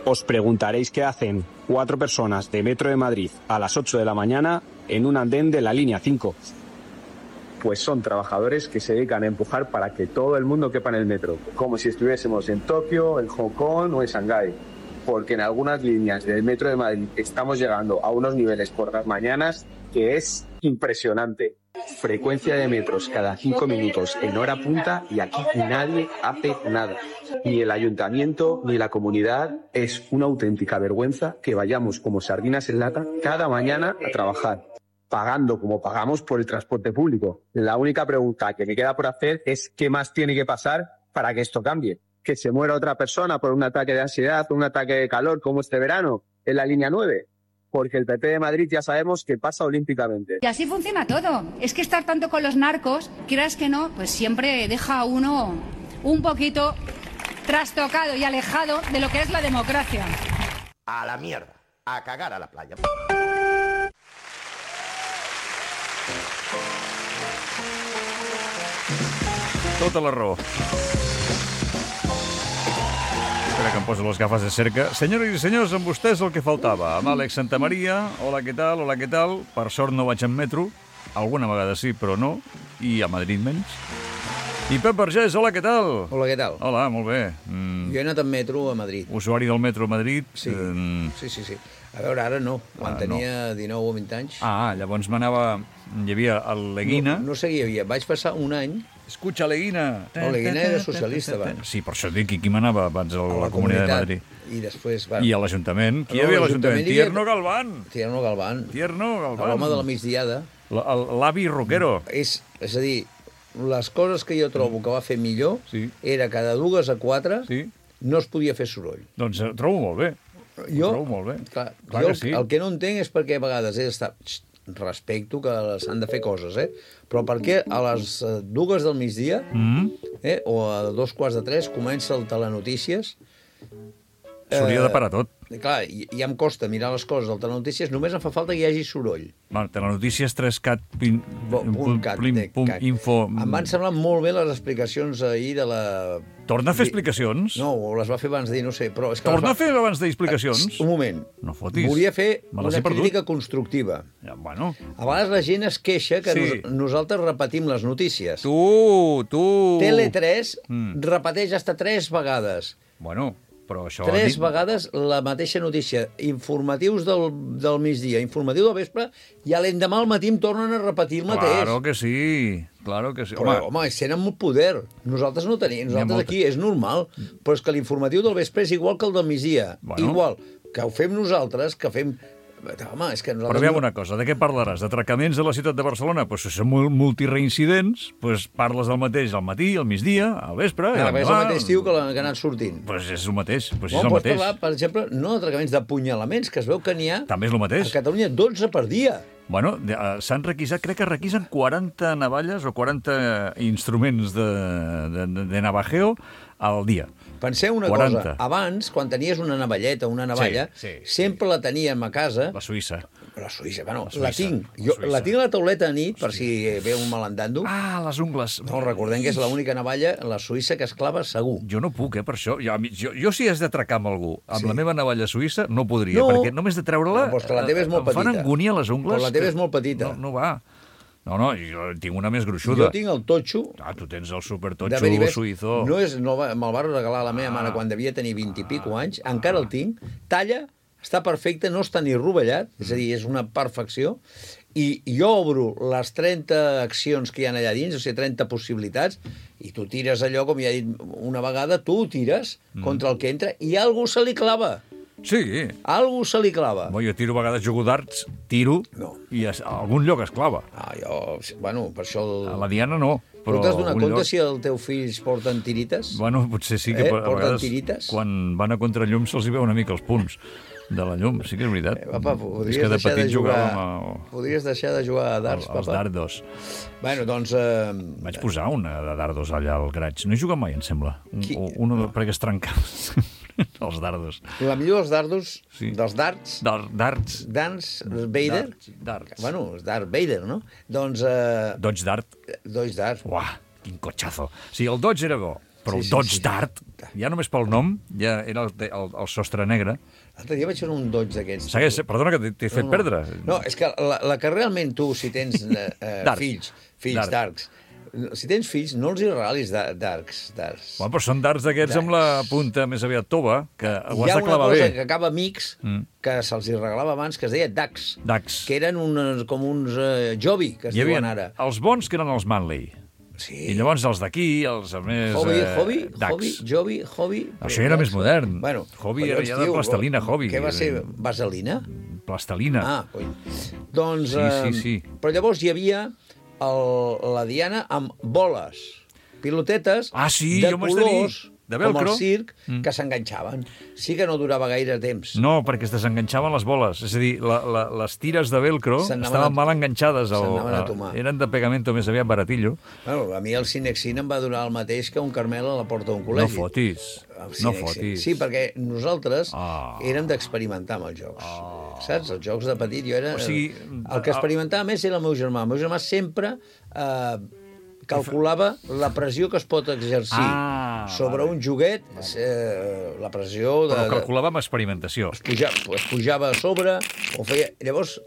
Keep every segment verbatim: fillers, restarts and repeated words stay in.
Os preguntaréis qué hacen cuatro personas de Metro de Madrid a las ocho de la mañana en un andén de la línea cinco. Pues son trabajadores que se dedican a empujar para que todo el mundo quepa en el metro, como si estuviésemos en Tokio, en Hong Kong o en Shanghái. Porque en algunas líneas del Metro de Madrid estamos llegando a unos niveles por las mañanas que es impresionante. Frecuencia de metros cada cinco minutos en hora punta y aquí nadie hace nada. Ni el ayuntamiento ni la comunidad. Es una auténtica vergüenza que vayamos como sardinas en lata cada mañana a trabajar, pagando como pagamos por el transporte público. La única pregunta que me queda por hacer es qué más tiene que pasar para que esto cambie. Que se muera otra persona por un ataque de ansiedad o un ataque de calor como este verano en la línea nueve. Porque el P P de Madrid ya sabemos que pasa olímpicamente. Y así funciona todo. Es que estar tanto con los narcos, quieras que no, pues siempre deja a uno un poquito trastocado y alejado de lo que es la democracia. A la mierda, a cagar a la playa. Tota la raó. Espera que em poso les gafes de cerca. Senyores i senyors, amb vostès el que faltava. Amb Àlex Santamaria, hola, què tal, hola, què tal. Per sort no vaig en metro. Alguna vegada sí, però no. I a Madrid menys. I Pep Vergés, hola, què tal? Hola, què tal? Hola, molt bé. Mm. Jo he anat en metro a Madrid. Usuari del metro a Madrid. Sí, mm. sí, sí, sí. A veure, ara no. Quan Ah, tenia no. dinou o vint anys... Ah, llavors m'anava... Hi havia el Leguina. No, no sé qui hi havia. Vaig passar un any... Escucha, Leguina. No, Leguina era socialista abans. Sí, per això dic, qui manava abans a la, A la Comunitat de comunitat. Madrid? I després... Bueno, I a l'Ajuntament? Qui No, hi havia a l'Ajuntament l'Ajuntament? hi havia- Tierno Galván. Tierno Galván. Tierno Galván. L'home de la migdiada. La- el- L'avi rockero. És, és a dir, les coses que jo trobo que va fer millor Sí. era cada dues a quatre Sí. no es podia fer soroll. Doncs ho trobo molt bé. Jo, Ho trobo molt bé. Clar, Clar jo que sí. el que no entenc és perquè a vegades he d'estar... Xxt, respecto que s'han de fer coses, eh? Però per què a les eh, dues del migdia Mm. eh, o a dos quarts de tres comença el Telenotícies? S'hauria de parar tot. I, clar, i, ja em costa mirar les coses del Telenotícies, només em fa falta que hi hagi soroll. Bueno, Telenotícies tres cat pin, Bo- punt cat, plim, tec, pum, cat. info... Em van semblar molt bé les explicacions ahir de la... Torna a fer explicacions? No, o les va fer abans d'ahir, no sé, però... És que Torna les a fer abans d'explicacions? Va... Un moment. No fotis. Volia fer Me les he una perdut. crítica constructiva. Ja, bueno, A vegades la gent es queixa que Sí. nos, nosaltres repetim les notícies. tu, tu... Tele tres Mm. repeteix hasta tres vegades. Bueno, però això... Tres dit- vegades la mateixa notícia. Informatius del, del migdia, informatiu del vespre, i a l'endemà al matí em tornen a repetir el mateix. Claro que sí, claro que sí. Però, home, home tenen molt poder. Nosaltres no tenim. Nosaltres molta- aquí és normal. Però és que l'informatiu del vespre és igual que el del migdia. Bueno. Igual que ho fem nosaltres, que fem... Home, és que Però nosaltres... aviam una cosa, de què parlaràs? D'atracaments de la ciutat de Barcelona? Doncs pues, si són mul- multireincidents, pues parles del mateix al matí, al migdia, al vespre... i Ara, és el l'endemà. mateix tio que l'ha que ha anat sortint. Pues és el mateix, pues és Bon, el pots mateix. parlar, per exemple, no d'atracaments, d'apunyalaments, que es veu que n'hi ha També és el mateix. a Catalunya dotze per dia. Bueno, de- eh, s'han requisat, crec que requisen quaranta navalles o quaranta instruments de, de, de, de navajeo al dia. Penseu una quaranta. cosa, abans, quan tenies una navalleta, una navalla, Sí, sí, sí. sempre la teníem a casa... La Suïssa. La Suïssa, bueno, La Suïssa, la tinc. la Jo Suïssa. la tinc a la tauleta a nit, per si ve un malandando. Ah, les ungles. No, recordem que és l'única navalla, la Suïssa, que es clava segur. Jo no puc, eh, per això. Jo, a mi- jo, jo si has d'atracar amb algú, amb Sí. la meva navalla suïssa, no podria, No. perquè només de treure-la... No, però és que la teva és molt em fan petita. angúnia les ungles. Però la teva que- és molt petita. No, no va. No, no, jo tinc una més gruixuda. Jo tinc el totxo Ah, tu tens el de supertotxo Beribès. suïzó. No és, no, va- me'l va regalar la meva Ah. mare quan devia tenir vint i pico anys. Encara el tinc. Talla, està perfecte, no està ni rovellat, és a dir, és una perfecció. I jo obro les trenta accions que hi ha allà dins, o sigui, trenta possibilitats, i tu tires allò, com ja he dit una vegada, tu ho tires contra el que entra i algú se li clava. Sí. Algú se li clava. Bo, jo tiro a vegades jugo darts, tiro, No. i a, a algun lloc es clava. Ah, jo, bueno, per això... El... A la Diana no, Però però... t'has donat algun compte lloc- si els teus fills porten tirites? Bueno, potser sí que Eh, a porten vegades, tirites? quan van a contrallum, se'ls hi veu una mica els punts de la llum. Sí que és veritat. Eh, papa, podries és que de deixar de petit jugar... jugàvem a, Podries deixar de jugar a darts, als papa? dardos. Bueno, doncs... Eh... Vaig posar una de dardos allà al graig. No he jugat mai, em sembla. Un, Qui- una no. perquè es trencava els dardos. La millor dels dardos, Sí. sí. dels darts, Dar, darts. Dance Vader... Darts. darts. Bueno, és Darth Vader, no? Doncs... Eh... Dodge dart. Dodge darts. Uah, quin cotxazo. Sí, el Dodge era bo, però Sí, el sí, Dodge sí. Dart, ja només pel nom, ja era el, el, el sostre negre. L'altre dia vaig fer un Dodge d'aquests. Segueix, perdona que t'he- t'he fet no, no. perdre. No, és que la, la que realment tu, si tens eh, eh, Dark. fills, fills Dark. darks, si tens fills, no els hi regalis da- darks. darks. Bueno, però són darts d'aquests amb la punta més aviat tova, que ho Hi has ha de una clavar cosa bé. que acaba amics, Mm. que se'ls hi regalava abans, que es deia Dax. Dax. Que eren uns, com uns eh, Jovi, que es Hi havia diuen ara. els bons, que eren els Manley. Sí. I llavors els d'aquí, els més... Hobby, eh, hobby, Dax. hobby, Jovi, hobby... Això era més modern. Bueno, Hobby collons, era ja de tio, plastelina, hobby. Què va ser? Vaselina? Plastelina. Ah, coi. Doncs... Sí, eh, sí, sí. Però llavors hi havia el, la Diana amb boles, pilotetes Ah, sí, de jo m'ho haig de dir. colors, De com velcro. el circ, Mm. que s'enganxaven. Sí que no durava gaire temps. No, perquè es desenganxaven les boles. És a dir, la, la, les tires de velcro S'anaven estaven a- mal enganxades. Al, s'anaven a tomar. eren de pegamento més aviat baratillo. Bueno, a mi el Cinexin em va durar el mateix que un Carmel a la porta d'un No col·legi. fotis. El No Cinexin. fotis. Sí, perquè nosaltres Ah. érem d'experimentar amb els jocs. Saps? Els jocs de petit, jo era... O sigui, el que experimentava més era el meu germà. El meu germà sempre eh, calculava la pressió que es pot exercir Ah, sobre vale. un joguet, eh, la pressió de... Però de- calculava amb experimentació. es pujava, es pujava a sobre, o feia... Llavors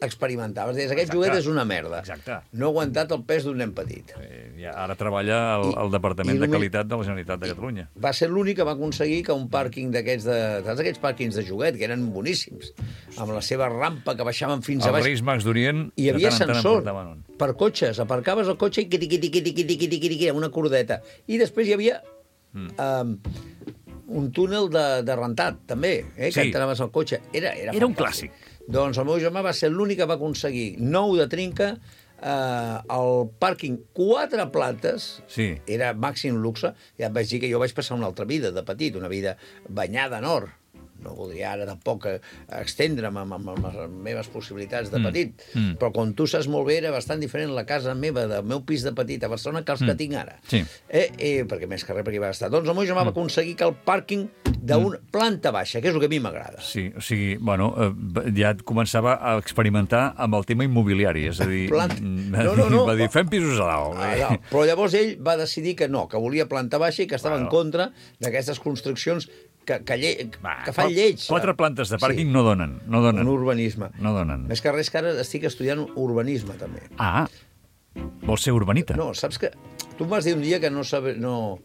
experimentaves, deies, aquest Exacte. joguet és una merda. Exacte. No ha aguantat el pes d'un nen petit. Eh, ja, ara treballa al, al Departament i de només- Qualitat de la Generalitat de Catalunya. Va ser l'únic que va aconseguir que un pàrquing d'aquests de... Saps aquells pàrquings de joguet, que eren boníssims, amb la seva rampa que baixaven fins a Els baix. Reis Mags d'Orient Hi havia de tant en tant en sensor portaven un. per cotxes. Aparcaves el cotxe i quiti, quiti, quiti, quiti, quiti, quiti, quiti, amb una cordeta. I després hi havia mm. um, un túnel de, de rentat, també, eh, que Sí. entraves al cotxe. Era, era, Era un fantàstic. clàssic. Doncs el meu germà va ser l'únic que va aconseguir nou de trinca, eh, el pàrquing quatre plantes, Sí. era màxim luxe. Ja et vaig dir que jo vaig passar una altra vida de petit, una vida banyada en or. No voldria ara tampoc eh, extendre'm amb, amb, amb les meves possibilitats de petit, Mm. Mm. però com tu saps molt bé, era bastant diferent la casa meva, del meu pis de petit a Barcelona, que els que tinc ara. Sí. Eh, eh, perquè més que res, perquè hi va estar. Doncs el meu germà va aconseguir que el pàrquing d'una planta baixa, que és el que a mi m'agrada. Sí, o sigui, bueno, eh, ja començava a experimentar amb el tema immobiliari, és a dir, Plant- mm, va, No, no, dir, no. va dir, fem pisos a dalt. Ah, no. Però llavors ell va decidir que no, que volia planta baixa i que estava Bueno. en contra d'aquestes construccions que, que, lle... Va, que fan qua- lleig. Quatre plantes de pàrquing Sí. no donen, no donen. En urbanisme. No donen. Més que res que ara estic estudiant urbanisme, també. Ah, vols ser urbanita? No, saps que... Tu em vas dir un dia que no sabe... no...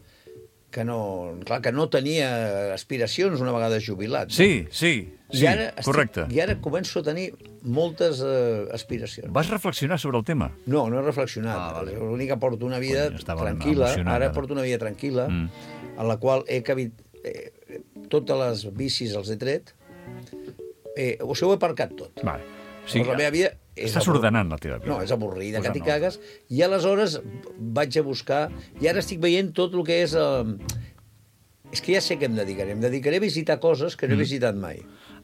que no... Clar, que no tenia aspiracions una vegada jubilat. No? Sí, sí, sí, I ara estic- correcte. I ara començo a tenir moltes eh, aspiracions. Vas reflexionar sobre el tema? No, no he reflexionat. Ah, vale. L'únic que porto una vida Cony, estava tranquil·la. emocionat, Ara ara. porto una vida tranquil·la, Mm. en la qual he cabit... Eh, totes les bicis els he tret. Eh, o sigui, ho he aparcat tot. Vale. O sigui, la meva vida... és Estàs abur- ordenant la teva vida. No, és avorrida, Pues que t'hi no. cagues. I aleshores vaig a buscar... I ara estic veient tot el que és... Eh, és que ja sé què em dedicaré. Em dedicaré a visitar coses que no he Mm. visitat mai.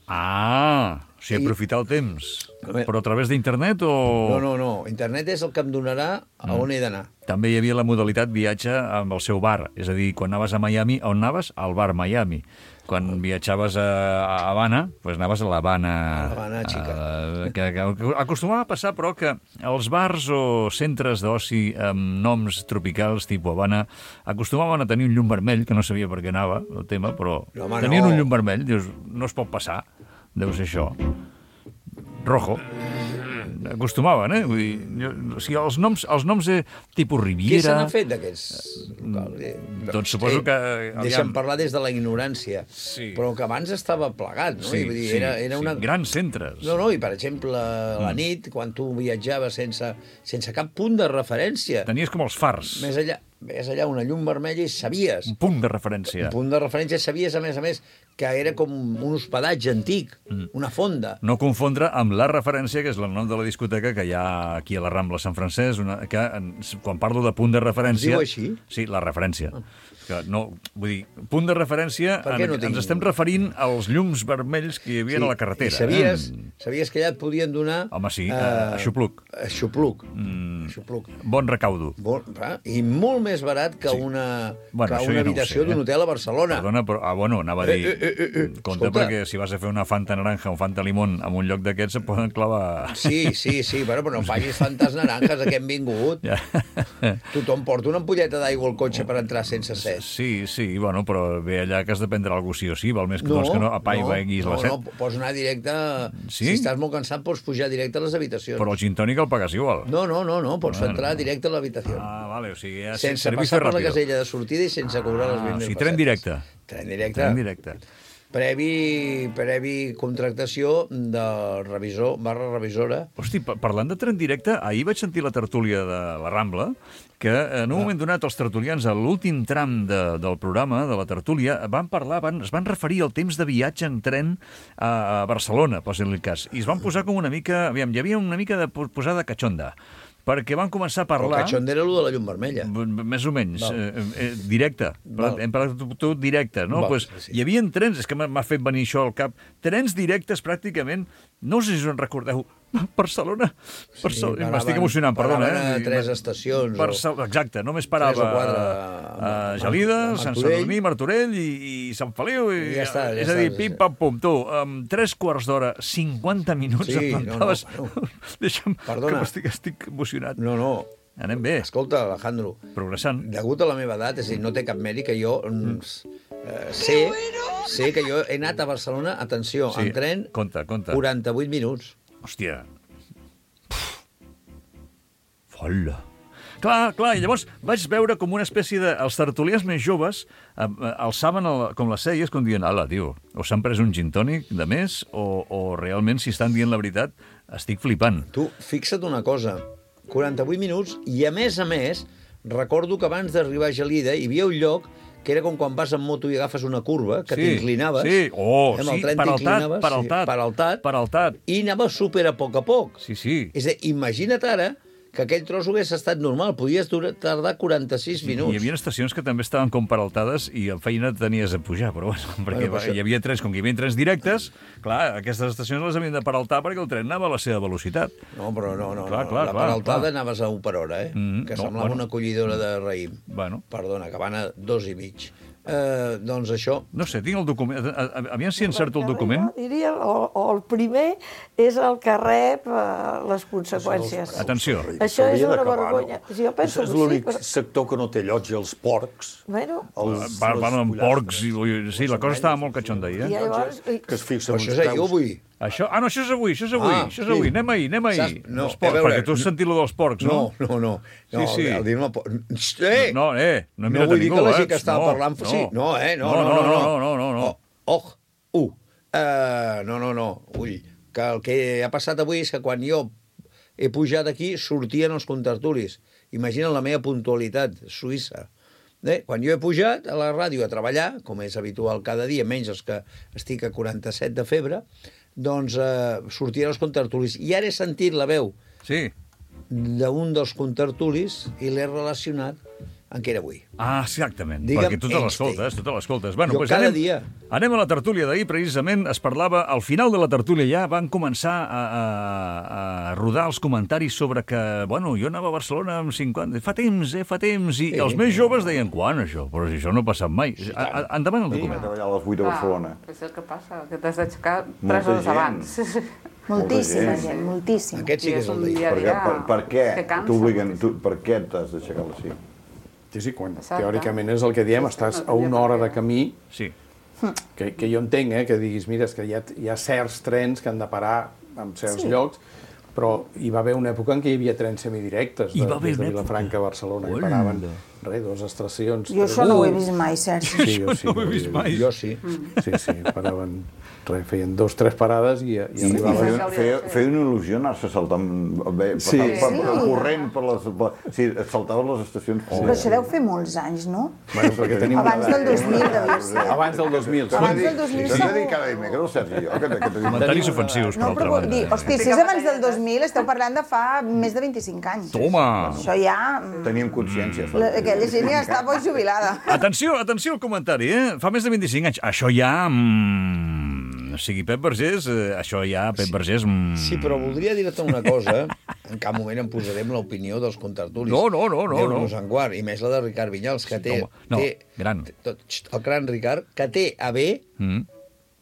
Ah, o sigui, I- aprofitar el temps. A veure- Però a través d'internet o... No, no, no. Internet és el que em donarà a on he d'anar. També hi havia la modalitat viatge amb el seu bar. És a dir, quan anaves a Miami, on anaves? Al bar Miami. Quan viatjaves a a Habana, doncs anaves a l'Havana. A l'Havana, xica. Eh, que, que acostumava a passar, però, que els bars o centres d'oci amb noms tropicals, tipus Havana, acostumaven a tenir un llum vermell, que no sabia per què anava el tema, però No, home, tenien no. un llum vermell, dius, no es pot passar, deu ser això. Rojo. Acostumaven, eh? Vull dir, jo, o sigui, els noms, els noms de tipus Què se Riviera... n'ha fet d'aquests locals? Eh, doncs suposo que, Deixa'm aviam. parlar des de la ignorància. Sí. Però que abans estava plegat, no? Sí, I vull dir, sí, era, era sí, una... grans centres. No, no, i per exemple, a la nit, quan tu viatjaves sense, sense cap punt de referència, Tenies com els fars, més allà, més allà una llum vermella i sabies, un punt de referència. un punt de referència, sabies, a més a més, que era com un hospedatge antic, Mm. una fonda. No confondre amb la referència, que és el nom de la discoteca que hi ha aquí a la Rambla Sant Francesc, una, que en, quan parlo de punt de referència... Es diu així? Sí, la referència. Que no, vull dir, punt de referència, Per què en, no tinc- ens estem referint als llums vermells que hi havia a la carretera. I sabies, Eh? sabies que allà et podien donar... Home, sí, eh, uh, aixopluc. Aixopluc. Mm, Xupluc. Bon recaudo. Bon, va, I molt més barat que Sí. una, Bueno, que això una ja no ho habitació sé, eh? d'un hotel a Barcelona. Perdona, però... Ah, bueno, anava a dir... Eh, eh, eh, eh, Compte, escolta. perquè si vas a fer una Fanta naranja o Fanta limón en un lloc d'aquests, se poden clavar... Sí, sí, sí, bueno, però no facis fantes naranjas, a què hem vingut. Ja. Tothom porta una ampolleta d'aigua al cotxe per entrar sense set. Sí, sí, bueno, però ve allà que has de prendre alguna cosa sí o sí, val més que, doncs, que no apaivaguis no, la set. no, pots anar directe... Sí? Si estàs molt cansat, pots pujar directe a les habitacions. Però el gin tònic el pagues igual. No, no, no, no, pots Bueno. entrar directe a l'habitació. Ah, vale, o sigui, ja sense servicio passar per la ràpido. casella de sortida i sense cobrar les Ah, vint o mil sigui, tren directe. Tren directe. Tren directe. Previ, previ contractació del revisor barra revisora. Hosti, pa- parlant de tren directe, ahir vaig sentir la tertúlia de la Rambla, que en un moment donat els tertulians, a l'últim tram de, del programa, de la tertúlia, van parlar, van, es van referir al temps de viatge en tren a, a Barcelona, posin-li el cas, i es van posar com una mica... Aviam, hi havia una mica de po- posada catxonda, perquè van començar a El parlar... catxon era allò de la llum vermella. B- b- Més o menys, Val. eh, eh, directe. Val. Hem parlat tu, tu directe, no? Val, Pues, sí. hi havia trens, és que m'ha m'ha fet venir això al cap, trens directes pràcticament, no sé si us en recordeu, Barcelona, Barcelona, paraven- m'estic emocionant, perdona. paraven Eh? a tres estacions, o- Barcel... Exacte, només parava Tres o quatre, a, a a- Gelida, a Sant Martorell. Sadurní, Martorell i, i Sant Feliu. I, I ja està, ja és a dir, està, pim, ja pam, pum, tu, amb tres quarts d'hora, cinquanta minuts, Sí, et no, no, plantaves... bueno. Deixa'm, Perdona. que m'estic estic emocionat. No, no. Anem bé, Escolta, Alejandro, progressant. degut a la meva edat, és a dir, no té cap mèrit que jo mm. eh, sé, sé que jo he anat a Barcelona, atenció, Sí, en tren, compte, compte. quaranta-vuit minuts. Hòstia. Folla. Clar, clar, i llavors vaig veure com una espècie de... Els tertulians més joves eh, eh, alçaven el, com les celles, com dient, ala, tio, o s'han pres un gin tònic de més, o, o realment, si estan dient la veritat, estic flipant. Tu, fixa't una cosa, quaranta-vuit minuts, i a més a més, recordo que abans d'arribar a Gelida hi havia un lloc que era com quan vas en moto i agafes una curva, que Sí, t'inclinaves. sí. Oh, amb sí, el tren peraltat, t'inclinaves, peraltat, sí, peraltat, peraltat. i anaves super a poc a poc. Sí, sí. És a dir, imagina't ara que aquell tros hagués estat normal, podies durar, tardar quaranta-sis minuts. Hi havia estacions que també estaven com peraltades i en feina tenies a pujar, però bueno, perquè Bueno, però això- hi havia trens, com que hi havia trens directes, clar, aquestes estacions les havien de peraltar perquè el tren anava a la seva velocitat. No, però no, no, Clar, no. clar, la clar, peraltada clar. anaves a un per hora, eh? Mm, que no, semblava bueno. una collidora de raïm. Bueno, Perdona, que van a dos i mig. Eh, doncs això... no sé, tinc el document... a- a- Aviam si encerto el document. Jo diria, o, o el primer és el que rep eh, les conseqüències. Atenció. Això és S'hauria una d'acabar, vergonya. no? Jo penso és que sí, l'únic però... sector que no té llotja, els porcs. Bueno, Els, Va, van amb pollastres, porcs i... Sí, la cosa estava molt catxonda ahir, i eh? llavors... i- que es fixen Però això uns és ahir o peus. avui? Això... Ah, no, això és avui, això és avui, Ah, això és sí. avui. Anem ahir, anem ahir. Saps? No, Els porcs, a veure, perquè tu has sentit lo dels porcs, no? No, no, no. Sí, no sí. El dir-me... por- Eh! No, eh, no he no mirat vull a dir ningú, que la eh? gent que estava No, parlant... no. Sí, no, eh? No, No, no, no. no, no, no, no. Oh, oh, uh. Uh, no, no, no. Ull, que el que ha passat avui és que quan jo he pujat aquí sortien els contertulis. Imagina la meva puntualitat suïssa. Eh? Quan jo he pujat a la ràdio a treballar, com és habitual cada dia, menys els que estic a quaranta-set de febre, doncs eh, sortien els contertulis. I ara he sentit la veu Sí. d'un dels contertulis i l'he relacionat en què era avui. Ah, exactament, Digue'm perquè tu te Einstein. l'escoltes, tu te l'escoltes. Bueno, Jo pues cada anem, dia. anem a la tertúlia d'ahir, precisament, es parlava, al final de la tertúlia ja van començar a, a, a rodar els comentaris sobre que, bueno, jo anava a Barcelona amb cinquanta... Fa temps, eh, fa temps, i Sí. els més joves deien, quan, això? Però si això no ha passat mai. A, a, endavant el Sí, document. treballar a les vuit de Barcelona. Clar, és el que passa, que t'has d'aixecar Molta tres hores gent. abans. Moltíssima gent. gent, moltíssima. Aquest sí que és el dia. Per, què- per, per què Que cansa t'obliguen, tu, moltíssim. per què t'has d'aixecar a les cinc? Sí, sí, quan Exacte. teòricament és el que diem, estàs a una hora de camí, Sí. que, que jo entenc, eh, que diguis, mira, és que hi ha, hi ha certs trens que han de parar en certs Sí. llocs, però hi va haver una època en què hi havia trens semidirectes Hi de, va haver des de una Vilafranca a Barcelona, que Hola. paraven res, dues estacions... Jo tres- això no ho he vist mai, Sergi. Sí, jo sí, no ho he que vist mai. Jo sí. Sí, sí, paraven, res, feien dos, tres parades i, i I arribaven... feia, feia, feia una il·lusió anar-se saltant, bé, Sí. passar, Sí. per, per, corrent per les... Per, sí, et saltaves les estacions. Però això deu fer molts anys, no? Bueno, perquè tenim Abans una del dos mil devia ser. Abans del dos mil. Abans del dos mil T'ho he de dir segur. cada dimecres, el Sergi, jo, que, que tenim... Comentaris ofensius, per No, altra però vull dir, banda. hosti, si és abans del dos mil, esteu parlant de fa més de vint-i-cinc anys. Toma! Això ja... mm, Teníem consciència. la- Aquella gent ja està molt jubilada. Atenció, atenció al comentari, eh? Fa més de vint-i-cinc anys. Això ja... Mm, no sigui Pep Vergés, eh, això ja, Pep Vergés... Mm... Sí, però voldria dir-te una cosa. En cap moment em posarem l'opinió dels contertulis. No, no, no, no. Déu-nos en guard, i més la de Ricard Vinyals, que té... Home, no, té, gran. Té, tot, el gran Ricard, que té a bé, Mm.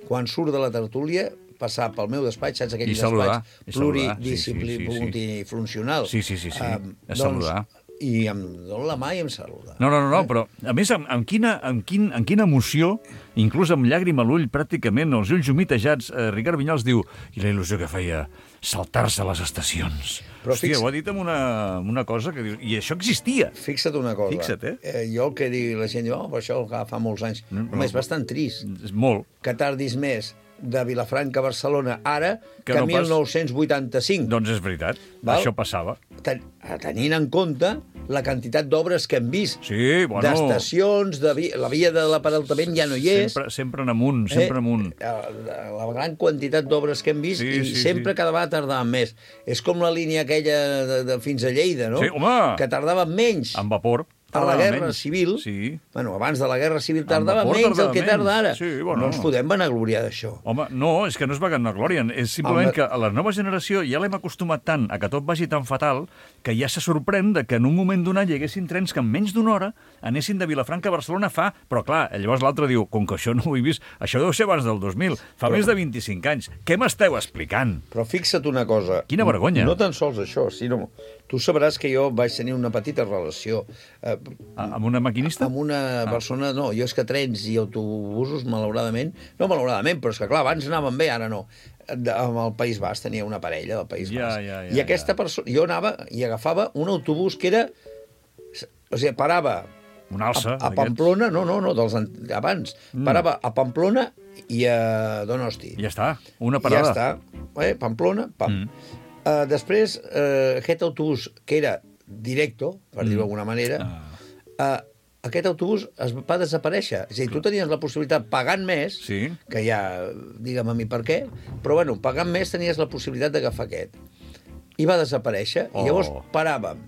quan surt de la tertúlia, passar pel meu despatx, saps, aquell I saludar, despatx i saludar, pluridisciplí, sí, sí, sí, sí. multifuncional. Sí, sí, sí, sí, Um, a saludar. I em dono la mà i em saluda. No, no, no, no, però, a més, amb, amb, quina, amb, quin, amb quina emoció, inclús amb llàgrima a l'ull, pràcticament, els ulls humitejats, eh, Ricard Vinyals diu, i la il·lusió que feia, saltar-se a les estacions. Però Hòstia, fix- ho ha dit amb una, amb una cosa que dius... I això existia. Fixa't una cosa. Fixa't, eh? eh jo el que diu, la gent diu, oh, però això ja fa molts anys. No, No, no. és bastant trist És molt. que tardis més de Vilafranca a Barcelona ara Que que, no que pas- mil nou-cents vuitanta-cinc. Doncs és veritat, Val? això passava. Ten, tenint en compte la quantitat d'obres que hem vist. Sí, bueno... D'estacions, de vi la via de l'apareltament ja no hi és. Sempre, sempre en amunt, sempre en amunt. Eh, la, la gran quantitat d'obres que hem vist Sí, i sí, sempre sí. cada vegada tardaven més. És com la línia aquella de, de fins a Lleida, no? Sí, home! Que tardava menys. Amb vapor. A la tardava Guerra menys. Civil, Sí. bueno, abans de la Guerra Civil tardava vapor menys tardava el que menys. tarda ara. Sí, bueno. No ens podem vanagloriar d'això. Home, no, és que no es va vanaglòria. És simplement Home. que a la nova generació ja l'hem acostumat tant a que tot vagi tan fatal que ja se sorprèn de que en un moment donat hi haguessin trens que en menys d'una hora anessin de Vilafranca a Barcelona fa... Però clar, llavors l'altre diu, com que això no ho he vist, això deu ser abans del dos mil, fa Però- més de vint-i-cinc anys. Què m'esteu explicant? Però fixa't una cosa. Quina vergonya. No tan sols això, sinó... Tu sabràs que jo vaig tenir una petita relació eh, A, amb una maquinista? amb una persona... No, jo és que trens i autobusos, malauradament... No malauradament, però és que clar, abans anaven bé, ara no. De, amb el País Basc tenia una parella del País Ja, Basc. ja, ja, I aquesta ja. persona... Jo anava i agafava un autobús que era... O sigui, parava Un alça. a, a d'aquests. Pamplona, no, no, no, dels an- abans. Mm. Parava a Pamplona i a Donosti. Ja està, una I parada. ja està. Eh, Pamplona, pam. Mm. Uh, després, uh, aquest autobús, que era directo, per Mm. dir-ho d'alguna manera, Ah. uh, aquest autobús es va desaparèixer. És a dir, tu tenies la possibilitat, pagant més, Sí. que ja, digue'm a mi per què, però bueno, pagant més tenies la possibilitat d'agafar aquest. I va desaparèixer, Oh. i llavors paràvem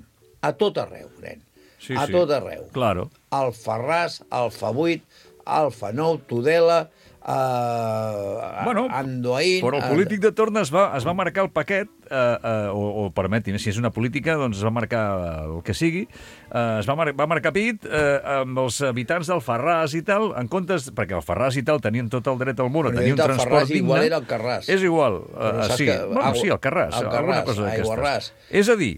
a tot arreu, nen. Sí, a sí. tot arreu. Claro. Alfarràs, Alfa vuit, Alfa nou, Tudela, uh, Bueno, Andoain... Però el polític de torn es va, es va marcar el paquet, eh, eh, o, o permeti'm, si és una política, doncs es va marcar el que sigui, eh, es va, mar va marcar pit eh, amb els habitants d'Alfarràs i tal, en comptes, perquè Alfarràs i tal tenien tot el dret al món a Però tenir un jo he dit transport Alfarràs, digne. igual era Alcarràs. És igual, Però eh, saps sí. que Bueno, Agu- sí, Alcarràs, Alcarràs, alguna cosa Aiguarràs. d'aquestes. És a dir,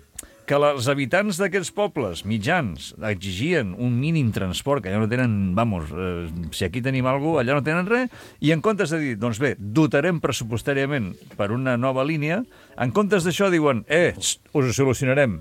que els habitants d'aquests pobles mitjans exigien un mínim transport, que allà no tenen, vamos, eh, si aquí tenim alguna cosa, allà no tenen res, i en comptes de dir, doncs bé, dotarem pressupostàriament per una nova línia, en comptes d'això diuen, eh, txt, us ho solucionarem,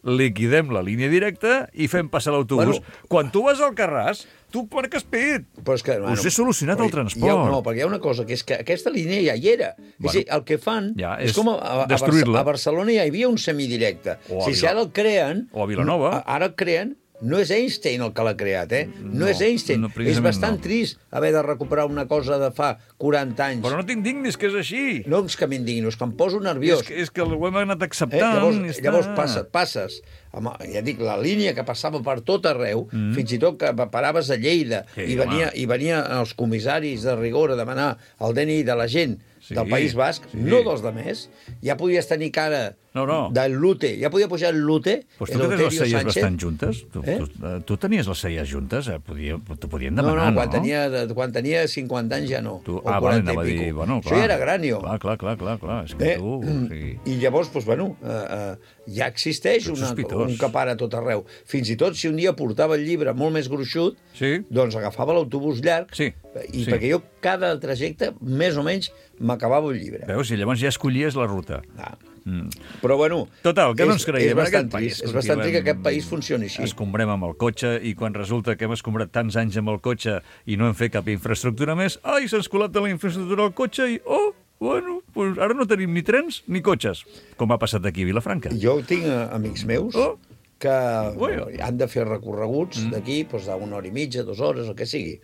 liquidem la línia directa i fem passar l'autobús. Bueno. Quan tu vas al Carràs, tu marques pit. Però és que, Us he solucionat però el transport. Hi ha, no, perquè hi ha una cosa, que és que aquesta línia ja hi era. Bueno, és a dir, el que fan ja, és, és com a, a, a, destruir-la. a Barcelona ja hi havia un semidirecte. O a si, si Vila- ara el creen... o a Vilanova. a- Ara el creen... No és Einstein el que l'ha creat, eh? No, No, és Einstein. no, és precisament bastant no. trist haver de recuperar una cosa de fa quaranta anys. Però no t'indignis, que és així. No és que m'indigno, és que em poso nerviós. És que, és que ho hem anat Eh? acceptant. Llavors, i està. llavors passes, passes amb, ja dic, la línia que passava per tot arreu, mm. fins i tot que paraves a Lleida, Sí, i, venia, home. i venia els comissaris de rigor a demanar el D N I de la gent Sí, del País Basc, sí. no dels de més, ja podies tenir cara No, no. del Lute, ja podia pujar el Lute, Pues tu que tens les Eleuterio celles Sánchez. bastant juntes? Tu, Eh? tu, eh, tu tenies les celles juntes? Eh? Podia, t'ho podien No, demanar, no, no? quan, Tenia, quan tenia cinquanta anys ja no. Tu, o ah, vale, quaranta anava a i dir, pico. bueno, clar. Això ja era gran, jo. Clar, clar, clar, clar, clar. És que Eh? tu... Sí. I llavors, doncs, bueno, eh, eh, ja existeix Tu ets una, sospitós. un que para a tot arreu. Fins i tot si un dia portava el llibre molt més gruixut, Sí. doncs agafava l'autobús llarg, Sí, i sí. perquè jo cada trajecte, més o menys, m'acabava un llibre. Veus? I llavors ja escollies la ruta. Ah. Mm. Però, bueno... Total, que no ens és, creiem és en bastant aquest país. trist, és bastant trist que aquest país funcioni així. Escombrem amb el cotxe i quan resulta que hem escombrat tants anys amb el cotxe i no hem fet cap infraestructura més, ai, s'ha escolat de la infraestructura al cotxe i, oh, bueno, pues ara no tenim ni trens ni cotxes, com ha passat aquí a Vilafranca. Jo tinc eh, amics meus Oh. que Bueno. han de fer recorreguts mm. d'aquí doncs, d'una hora i mitja, dues hores, el que sigui,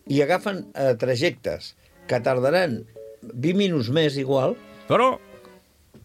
i agafen eh, trajectes que tardaran vint minuts més igual, Però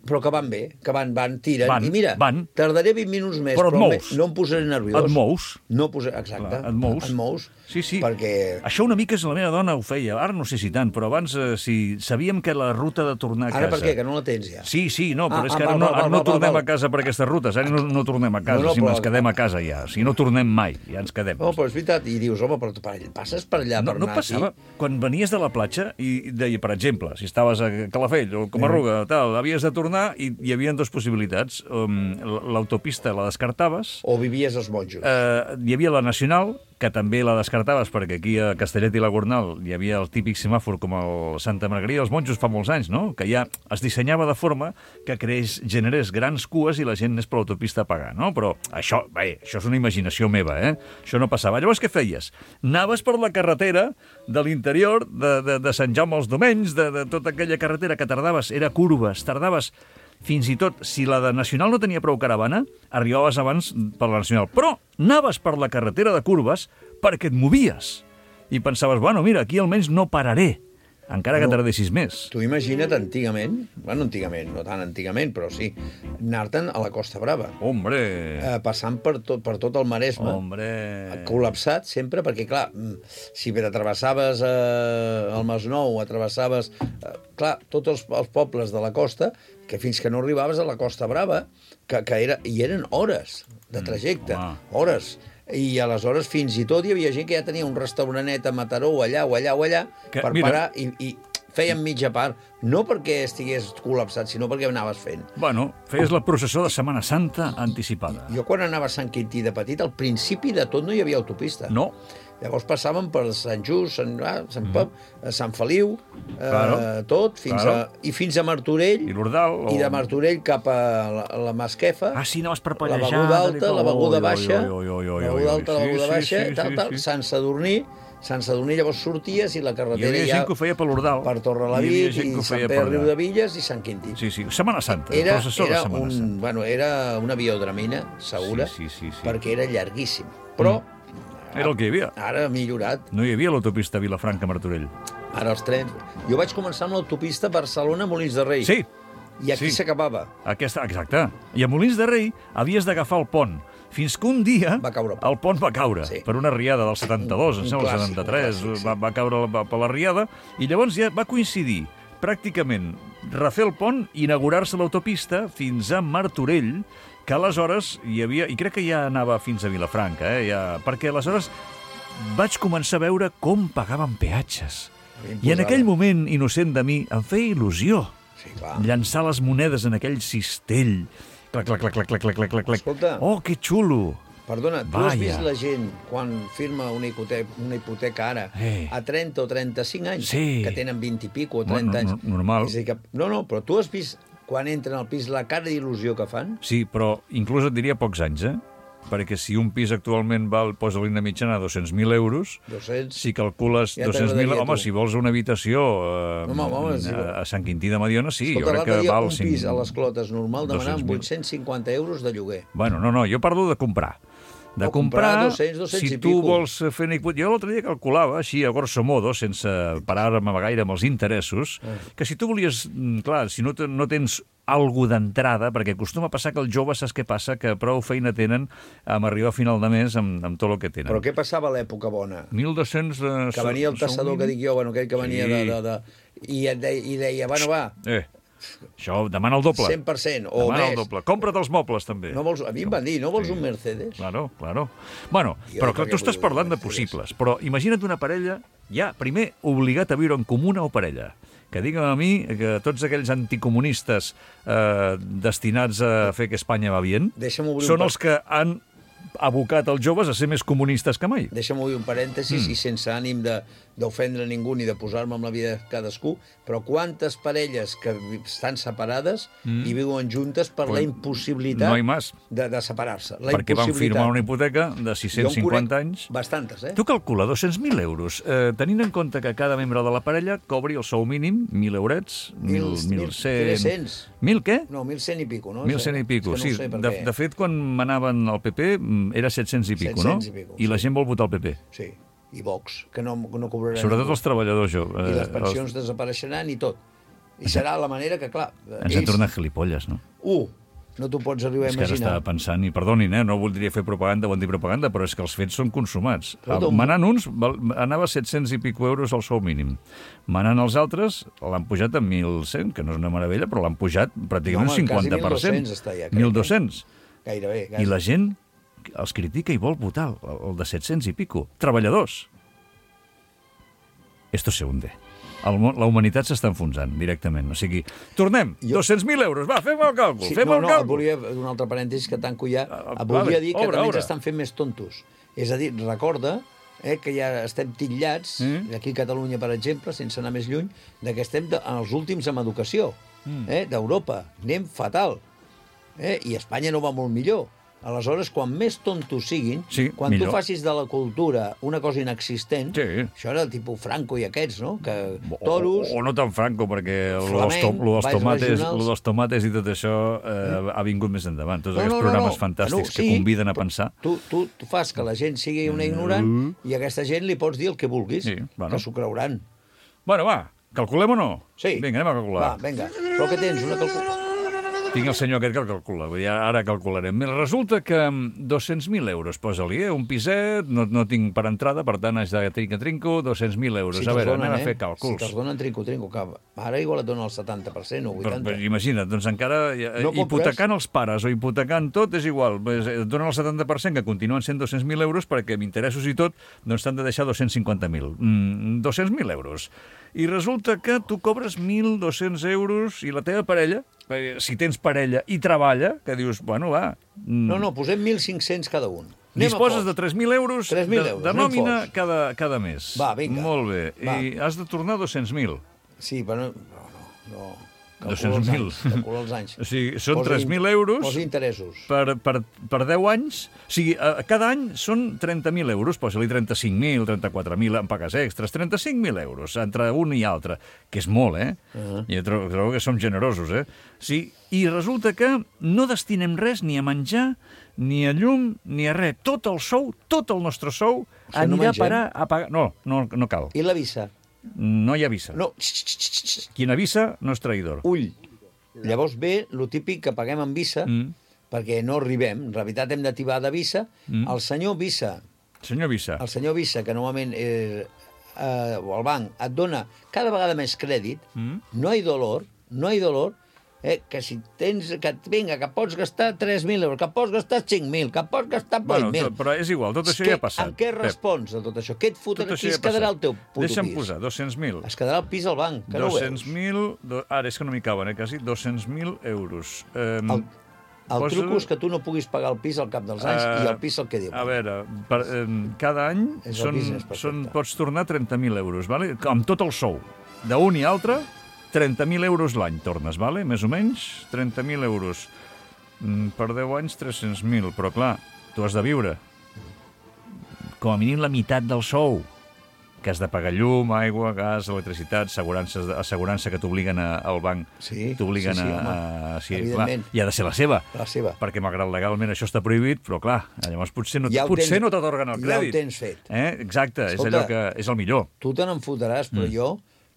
però que van bé, que van, van, tiren. Van, I mira, van. tardaré vint minuts més, Però et però mous. no em posaré nerviós. Et mous. No posaré, exacte. Clar, et mous. Et mous. Sí, sí. Perquè... Això una mica és la meva dona ho feia. Ara no sé si tant, però abans eh, si sabíem que la ruta de tornar a casa... Ara per què? Que no la tens ja? Sí, sí, no, però Ah, és que ah, ara val, no, val, ara val, no val, tornem val. a casa per aquestes rutes. Ara no, no tornem a casa, No, no, si però- ens quedem a casa ja. Si no tornem mai, ja ens quedem. No, però és veritat. I dius, home, però tu per allà- passes per allà No, per no anar passava. aquí? Quan venies de la platja i deia, per exemple, si estaves a Calafell o Comarruga, tal, havies de tornar i hi havia dues possibilitats. Um, L'autopista la descartaves. O vivies als monjos. Eh, hi havia la Nacional, que també la descartaves, perquè aquí a Castellet i la Gornal hi havia el típic semàfor com el Santa Margarida dels Monjos fa molts anys, no? Que ja es dissenyava de forma que creés, generés grans cues i la gent anés per l'autopista a pagar, no? Però això, bé, això és una imaginació meva, eh? Això no passava. Llavors, què feies? Anaves per la carretera de l'interior de, de, de Sant Jaume als Domenys, de, de tota aquella carretera que tardaves, era curves, tardaves fins i tot, si la de Nacional no tenia prou caravana, arribaves abans per la Nacional. Però anaves per la carretera de curves perquè et movies. I pensaves, bueno, mira, aquí almenys no pararé, encara que No. tardessis més. Tu imagina't antigament, bueno, antigament, no tan antigament, però sí, anar-te'n a la Costa Brava. Hombre! Eh, passant per tot, per tot el Maresme. Hombre! Col·lapsat sempre, perquè, clar, mm, si t'atravessaves eh, el Masnou, atravessaves, eh, clar, tots els, els pobles de la costa, que fins que no arribaves a la Costa Brava, que, que era, i eren hores de trajecte, home. hores. I aleshores fins i tot hi havia gent que ja tenia un restauranet a Mataró o allà o allà o allà Que, per mira- parar i, i feien mitja part, no perquè estigués col·lapsat, sinó perquè anaves fent. Bueno, feies la processó de Setmana Santa anticipada. Jo quan anava a Sant Quintí de petit, al principi de tot no hi havia autopista. No. Llavors passàvem per Sant Just, Sant, ah, Sant Pep, mm. Sant Feliu, eh, Claro. tot, fins Claro. a, i fins a Martorell, I l'Ordal. O... i de Martorell cap a la, a la Masquefa, Ah, sí, anaves per la pallejar. beguda alta, la beguda baixa, Oi, oi, oi, oi, la oi, beguda oi. alta, la Sí, beguda sí, baixa, sí, tal, sí, tal, sí. Sant Sadurní, Sant Sadurní llavors sorties i la Hi carretera havia ja gent que ho feia per l'Ordal. per Hi havia Torrelavit gent i que ho Sant feia Pere per Riu allà. de Villes i Sant Quintí. Sí, sí, Setmana Santa, Era, processó de era, Setmana un, Santa. bueno, era una biodramina segura, Sí, sí, sí, sí. perquè era llarguíssim. Però Era el que hi havia. ara ha millorat. No hi havia l'autopista Vilafranca-Martorell. Ara els trens... Jo vaig començar amb l'autopista Barcelona-Molins de Rei. Sí, I aquí sí. s'acabava. aquesta, exacte. I a Molins de Rei havies d'agafar el pont. Fins que un dia Va caure el pont. el pont va caure Sí. per una riada del setanta-dos, Un- em un sembla, el clàssic, setanta-tres, un clàssic, sí. va, va caure la- per la riada, i llavors ja va coincidir pràcticament refer el pont i inaugurar-se l'autopista fins a Martorell, que aleshores hi havia, i crec que ja anava fins a Vilafranca, eh, ja, perquè aleshores vaig començar a veure com pagaven peatges. I en aquell moment, innocent de mi, em feia il·lusió Sí, clar. llançar les monedes en aquell cistell. Clac, clac, clac, clac, clac, clac, clac, clac. Escolta. Oh, que xulo! Perdona, tu has Vaja. vist la gent quan firma una hipoteca, una hipoteca ara Eh. a trenta o trenta-cinc anys, Sí. que tenen vint i pico o Bueno, trenta no- anys? normal. És a dir que, no, no, però tu has vist quan entren al pis la cara d'il·lusió que fan? Sí, però inclús et diria pocs anys, eh? Perquè si un pis actualment val, posa-li una mitjana de dos-cents mil euros, dos-cents. si calcules Ja dos-cents mil... t'agradaria, Home, tu. si vols una habitació eh, Home, home, sí. a, a Sant Quintí de Mediona, sí, Escolta, jo crec l'altre que dia val... un cinc- pis a les Clotes normal demanàvem dos-cents mil. vuit-cents cinquanta euros de lloguer. Bueno, no, no, jo parlo de comprar. De O comprar comprar, dos-cents, dos-cents si i tu pico. vols fer una hipoteca... Jo l'altre dia calculava, així, a grosso modo, sense parar-me gaire amb els interessos, Ah. que si tu volies... mm, Clar, si no, te, no tens algú d'entrada, perquè acostuma a passar que els joves, saps què passa? Que prou feina tenen amb arribar a final de mes amb, amb tot el que tenen. Però què passava a l'època bona? mil dos-cents... De... Que venia el tassador que dic jo, bueno, aquell que venia Sí. de, de, de... I, et deia, i deia, bueno, va, Eh, això demana el doble. cent per cent o demana més. el doble. Compra't els mobles, també. No vols, a mi em van dir, no vols un Mercedes? Claro, claro. Bueno, Jo però clar, perquè tu estàs vull parlant de Mercedes. possibles, però imagina't una parella, ja, primer, obligat a viure en comuna o parella. Que digue'm a mi que tots aquells anticomunistes eh, destinats a fer que Espanya va bien Deixa'm obrir un són par- els que han abocat els joves a ser més comunistes que mai. Deixa'm obrir un parèntesis Mm. i sense ànim de d'ofendre ningú ni de posar-me amb la vida de cadascú, però quantes parelles que vi- estan separades Mm. i viuen juntes per Pues la impossibilitat no hi más. de, de separar-se. La Perquè van impossibilitat. firmar una hipoteca de sis-cents cinquanta Jo en conec anys. Bastantes, eh? Tu calcula dos-cents mil euros, eh, tenint en compte que cada membre de la parella cobri el sou mínim, mil eurets, mil, Mil- mil mil cent... tres-cents. Mil què? No, mil cent i pico, no? Mil cent i pico, És que sí. no ho sé per De, què. de fet, quan manaven al P P mm, era set-cents i pico, no? set-cents i pico, I la sí. gent vol votar al P P. Sí, i Vox, que no, no cobrarà Sobretot ningú. els treballadors joves. I les eh, pensions desapareixeran i tot. I serà la manera que, clar... Ens han tornat gilipolles, no? Uh, no t'ho pots arribar a És que ara imaginar. estava pensant, i perdonin, eh, no voldria fer propaganda o antipropaganda, però és que els fets són consumats. Però tu- Manant uns, val- anava a set-cents i pico euros el sou mínim. Manant els altres, l'han pujat a mil cent, que no és una meravella, però l'han pujat pràcticament No, un home, quasi cinquanta per cent. mil dos-cents està ja, crec, mil dos-cents. Gairebé, I gairebé. la gent els critica i vol votar, el de set-cents i pico. Treballadors. Esto se hunde. El, món- la humanitat s'està enfonsant directament. O sigui, tornem. Jo- dos-cents mil euros. Va, fem el càlcul. Sí, fem no, el no, et càlcul. volia, un altre parèntesis que tanco ja, Ah, et volia vale, dir que obre, també obre. ens estan fent més tontos. És a dir, recorda eh, que ja estem titllats, Mm. aquí a Catalunya, per exemple, sense anar més lluny, de que estem de, en els últims amb educació, Mm. eh, d'Europa. Anem fatal. Eh? I Espanya no va molt millor. Aleshores, quan més tontos siguin, Sí, quan millor. tu facis de la cultura una cosa inexistent, Sí. això era el tipus Franco i aquests, no? Que O, toros... o, o no tan franco, perquè el Flamenc, dels, to, lo dels, balls tomates, regionals. lo dels tomates i tot això eh, ha vingut més endavant. Tots No, aquests no, no, programes no. fantàstics Bueno, que sí, conviden a però pensar. Tu, tu, tu fas que la gent sigui una ignorant i a aquesta gent li pots dir el que vulguis, Sí, bueno. que s'ho creuran. Bueno, va, calculem o no? Sí. Vinga, anem a calcular. Va, vinga. Però què tens? Una calculació? Tinc el senyor aquest que el calcula, vull dir, ara calcularem. Mira, resulta que amb dos-cents mil euros, posa-li, eh? Un piset, no, no tinc per entrada, per tant, haig de trinca, trinco, dos-cents mil euros. a veure, anem a fer Si càlculs. te'ls donen trinco, trinco, que ara igual et donen el setanta per cent o Però, vuitanta. però imagina't, doncs encara eh, No compres? hipotecant els pares o hipotecant tot és igual. Pues, et donen el setanta per cent, que continuen sent dos-cents mil euros, perquè amb interessos i tot doncs t'han de deixar dos-cents cinquanta mil. Mm, dos-cents mil euros. I resulta que tu cobres mil dos-cents euros i la teva parella, perquè si tens parella i treballa, que dius, bueno, va... mm, No, no, posem mil cinc-cents cada un. Anem a Disposes poc. de tres mil euros tres mil de, euros, de anem nòmina forts. cada, cada mes. Va, vinga. Molt bé. Va. I has de tornar dos-cents mil. Sí, però no, no, no. Calcula dos-cents els mil. anys, calcula els anys. O sigui, són Posa tres in- mil euros Posa interessos. per, per, per deu anys. O sigui, eh, cada any són trenta mil euros, posa-li trenta-cinc mil, trenta-quatre mil en pagues extres, trenta-cinc mil euros entre un i altre, que és molt, eh? Uh-huh. Jo trobo, trobo que som generosos, eh? Sí, i resulta que no destinem res ni a menjar, ni a llum, ni a res. Tot el sou, tot el nostre sou, Això no anirà a mengem? parar a pagar... No, no, no cal. I la visa? No hi avisa. No. Qui n'avisa no és traïdor. Ull. Llavors ve lo típic que paguem amb visa, Mm. perquè no arribem. En realitat hem d'activar de visa. Mm. El senyor Visa, Senyor Visa. el senyor Visa, que normalment eh, eh, o el banc et dona cada vegada més crèdit, Mm. no hi ha dolor, no hi ha dolor, eh, que si tens, que vinga, que pots gastar tres mil euros, que pots gastar cinc mil, que pots gastar Bueno, vuit mil. tot- però és igual, tot això Què- ja ha passat. En què Pep. respons de tot això? Què et Tot fotrà? això Qui ja es ha passat. quedarà el teu puto Deixa'm pis? posar dos-cents mil. Es quedarà el pis al banc, que no ho veus. dos-cents mil... Do... Ara, és que no m'hi caben, eh, quasi. dos-cents mil euros. Um, El, el truco és que tu no puguis pagar el pis al cap dels anys i el pis el que diu. A veure, per, um, cada any És el són, business perfecte. són, pots tornar trenta mil euros, vale? Amb tot el sou. D'un i altre, trenta mil euros l'any tornes, vale? Més o menys, trenta mil euros. Mm, per deu anys, tres-cents mil. Però, clar, tu has de viure. Com a mínim la meitat del sou, que has de pagar llum, aigua, gas, electricitat, assegurances, assegurança que t'obliguen a- al banc. Sí, T'obliguen sí, sí, a... home. a sí, clar, Evidentment. i ha de ser la seva. La seva. Perquè, malgrat legalment això està prohibit, però, clar, llavors potser no, Ja ho potser tens- no t'atorguen el ja ho crèdit. tens fet. Eh? Exacte, Escolta, és allò que és el millor. Tu te n'enfotràs, però Mm. jo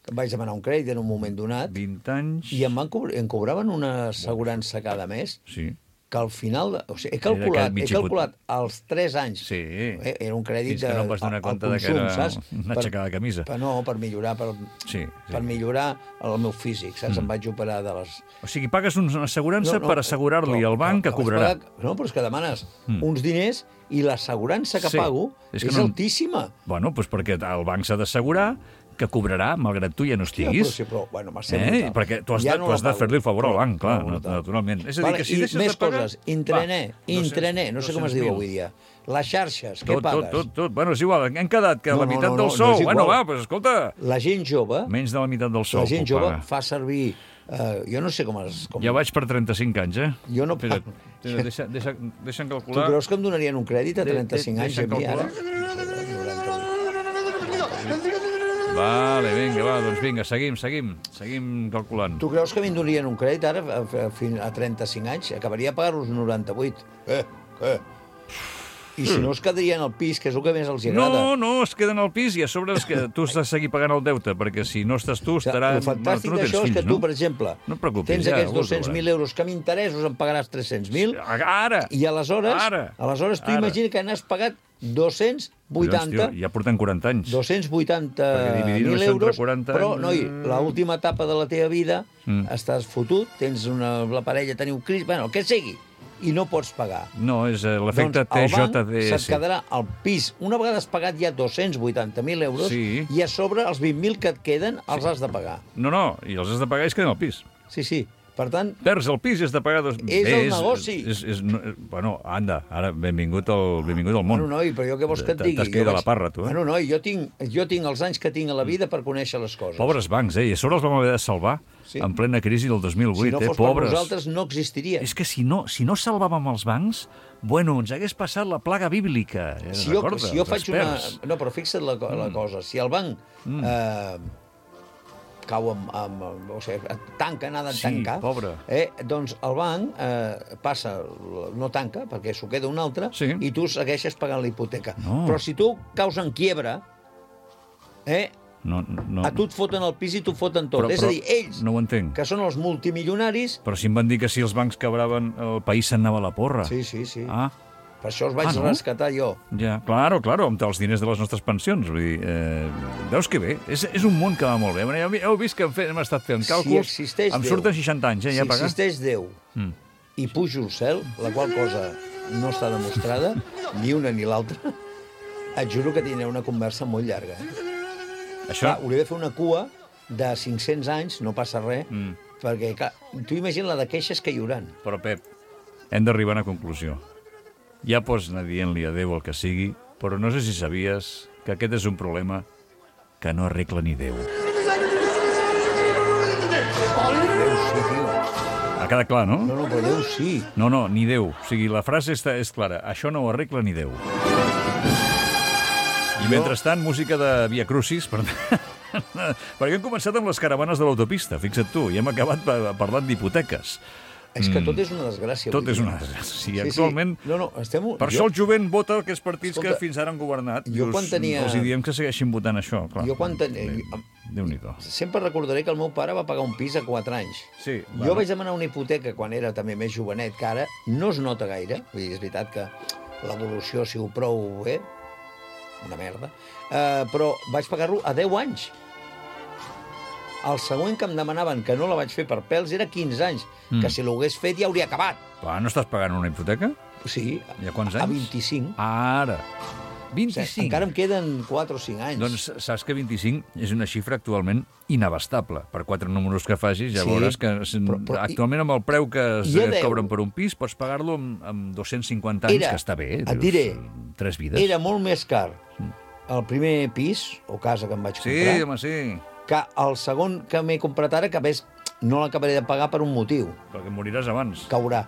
que em vaig demanar un crèdit en un moment donat vint anys... i em, van cobr em cobraven una assegurança cada mes Sí. que al final... De, o sigui, he Era calculat, aquell mig he calculat els tres anys. Sí. Eh, era un crèdit Fins que de, no em vas donar al- compte al de que consum, era saps? una aixecada de camisa. Per, no, per millorar, per, Sí, sí. per millorar el meu físic, saps? Mm. Em vaig operar de les... O sigui, pagues una assegurança per assegurar-li però- al banc que però vaig cobrarà. pagar- No, però és que demanes Mm. uns diners i l'assegurança que Sí. pago És és, que no- altíssima. Bueno, doncs perquè el banc s'ha d'assegurar que cobrarà, malgrat tu ja no Sí, però, estiguis. sí, però, bueno, m'ha ser Eh? brutal. Perquè tu has Ja de, no tu la has de pago. fer-li el favor al No, banc, clar, no, no, brutal. naturalment. És a dir, Vale, que si i deixes més de pagar... coses, intraner, Va, dos-cents, intraner, no sé com es diu dos-cents avui mil. dia. Les xarxes, què Tot, pagues? tot, tot, tot. Bueno, és igual, hem quedat que No, la no, meitat no, del no, sou... no és bueno, igual. va, doncs escolta... La gent jove, Menys de la meitat del sou la gent puc jove pagar. fa servir... Eh, jo no sé com es... Com... Ja vaig per trenta-cinc anys, eh? Jo no Espera't, pago. espera't, deixa, deixa, deixa'm Tu calcular... creus que em donarien un crèdit a De- de- trenta-cinc anys a deixa'm mi, ara? calcular. Vale, vinga, va, doncs vinga, seguim, seguim, seguim calculant. Tu creus que a mi em donarien un crèdit ara a, a, a trenta-cinc anys? Acabaria a pagar-los noranta-vuit. Eh, què? I si no es quedarien al pis, que és el que més els agrada. No, no, es queden al pis i a sobre és que tu has de seguir pagant el deute, perquè si no estàs tu, estarà... El fantàstic no tens d'això és fills, que tu, no? per exemple, No et preocupis, tens ja, aquests ho dos-cents mil veurem. euros que amb interessos en pagaràs tres-cents mil, Ara! i aleshores, Ara! aleshores tu Ara. imagina que n'has pagat dos-cents vuitanta, Collons, tio, ja porten quaranta anys. dos-cents vuitanta Perquè dividir-ho mil entre euros, quaranta... però, noi, l'última etapa de la teva vida Mm. estàs fotut, tens una, la parella, teniu crisi, bueno, el que sigui, i no pots pagar. No, és eh, l'efecte Doncs el T banc J D se't S. quedarà al pis. Una vegada has pagat ja dos-cents vuitanta mil euros Sí. i a sobre els vint mil que et queden els has de pagar. No, no, i els has de pagar i es queden al pis. Sí, sí. Per tant, Perds el pis i has de pagar... Dos... És Bé, el negoci. És, és, és, no, bueno, anda, ara, benvingut al, benvingut al món. bueno, noi, però jo què vols que et T'has- digui? T'has quedat Jo a la parra, tu, eh? Bueno, noi, jo tinc, jo tinc els anys que tinc a la vida per conèixer les coses. Pobres bancs, eh? I a sobre els vam haver de salvar Sí. en plena crisi del dos mil vuit, Si no eh? fos per Pobres. nosaltres, no existiria. És que si no, si no salvàvem els bancs, bueno, ens hagués passat la plaga bíblica. Eh? Si jo, Recorda, si jo els faig una... experts. No, però fixa't la, co- la cosa. Si el banc Mm. eh, cau amb... amb o sigui, tanca, nada en Sí, tancar, pobre. eh, doncs el banc eh, passa, no tanca, perquè s'ho queda un altre, Sí. i tu segueixes pagant la hipoteca. No. Però si tu caus en quiebra, eh, No, no. a tu et foten el pis i t'ho foten tot. Però- És però a dir, ells, no ho entenc. que són els multimilionaris... Però si em van dir que si els bancs quebraven, el país se'n anava a la porra. Sí, sí, sí. Ah, Per això els vaig Ah, no? rescatar jo. ja, claro, claro, amb els diners de les nostres pensions. Vull dir, eh, veus que bé? És, és un món que va molt bé. Bueno, ja heu vist que hem, fet, hem estat fent Si càlculs. existeix em Déu, surten seixanta anys, eh, ja si pagar. existeix Déu Mm. i pujo al cel, la qual cosa no està demostrada, ni una ni l'altra, et juro que tindré una conversa molt llarga. Eh? Això... Clar, hauria de fer una cua de cinc-cents anys, no passa res, Mm. perquè clar, tu imagina la de queixes que hi haurà. Però, Pep, hem d'arribar a una conclusió. Ja pots anar dient-li adéu el que sigui, però no sé si sabies que aquest és un problema que no arregla ni Déu. Déu sí, tio. Ha quedat clar, no? No, no, però Déu sí. No, no, ni Déu. O sigui, la frase està, és clara. Això no ho arregla ni Déu. I mentrestant, música de Via Crucis, per... perquè hem començat amb les caravanes de l'autopista, fixa't tu, i hem acabat pa- parlant d'hipoteques. És que Mm. tot és una desgràcia. Tot avui és dia. una desgràcia. Sí, actualment... No, no, estem... Per això el jovent vota aquests partits Escolta, que fins ara han governat. jo quan tenia- Els hi diem que segueixin votant això, clar. Jo quan tenia... Déu-n'hi-do. Sempre recordaré que el meu pare va pagar un pis a quatre anys. Sí, Jo bueno. vaig demanar una hipoteca quan era també més jovenet que ara. No es nota gaire. Vull dir, és veritat que l'evolució ha sigut prou bé. Una merda. Uh, però vaig pagar-lo a deu anys. El següent que em demanaven, que no la vaig fer per pèls, era quinze anys. Mm. Que si l'hagués fet ja hauria acabat. Clar, no estàs pagant una hipoteca? Sí. I a quants A anys? vint-i-cinc. Ara. O vint-i-cinc. sigui, encara em queden quatre o cinc anys. Doncs saps que vint-i-cinc és una xifra actualment inabastable. Per quatre números que facis, ja Sí, veuràs que però- però- actualment amb el preu que es I a deu? cobren per un pis pots pagar-lo amb, amb dos-cents cinquanta anys, Era- que està bé. et dius, diré, Tres vides. Era molt més car el primer pis o casa que em vaig Sí, comprar home, sí. que el segon que m'he comprat ara, que a més no l'acabaré de pagar per un motiu. Perquè moriràs abans. Caurà.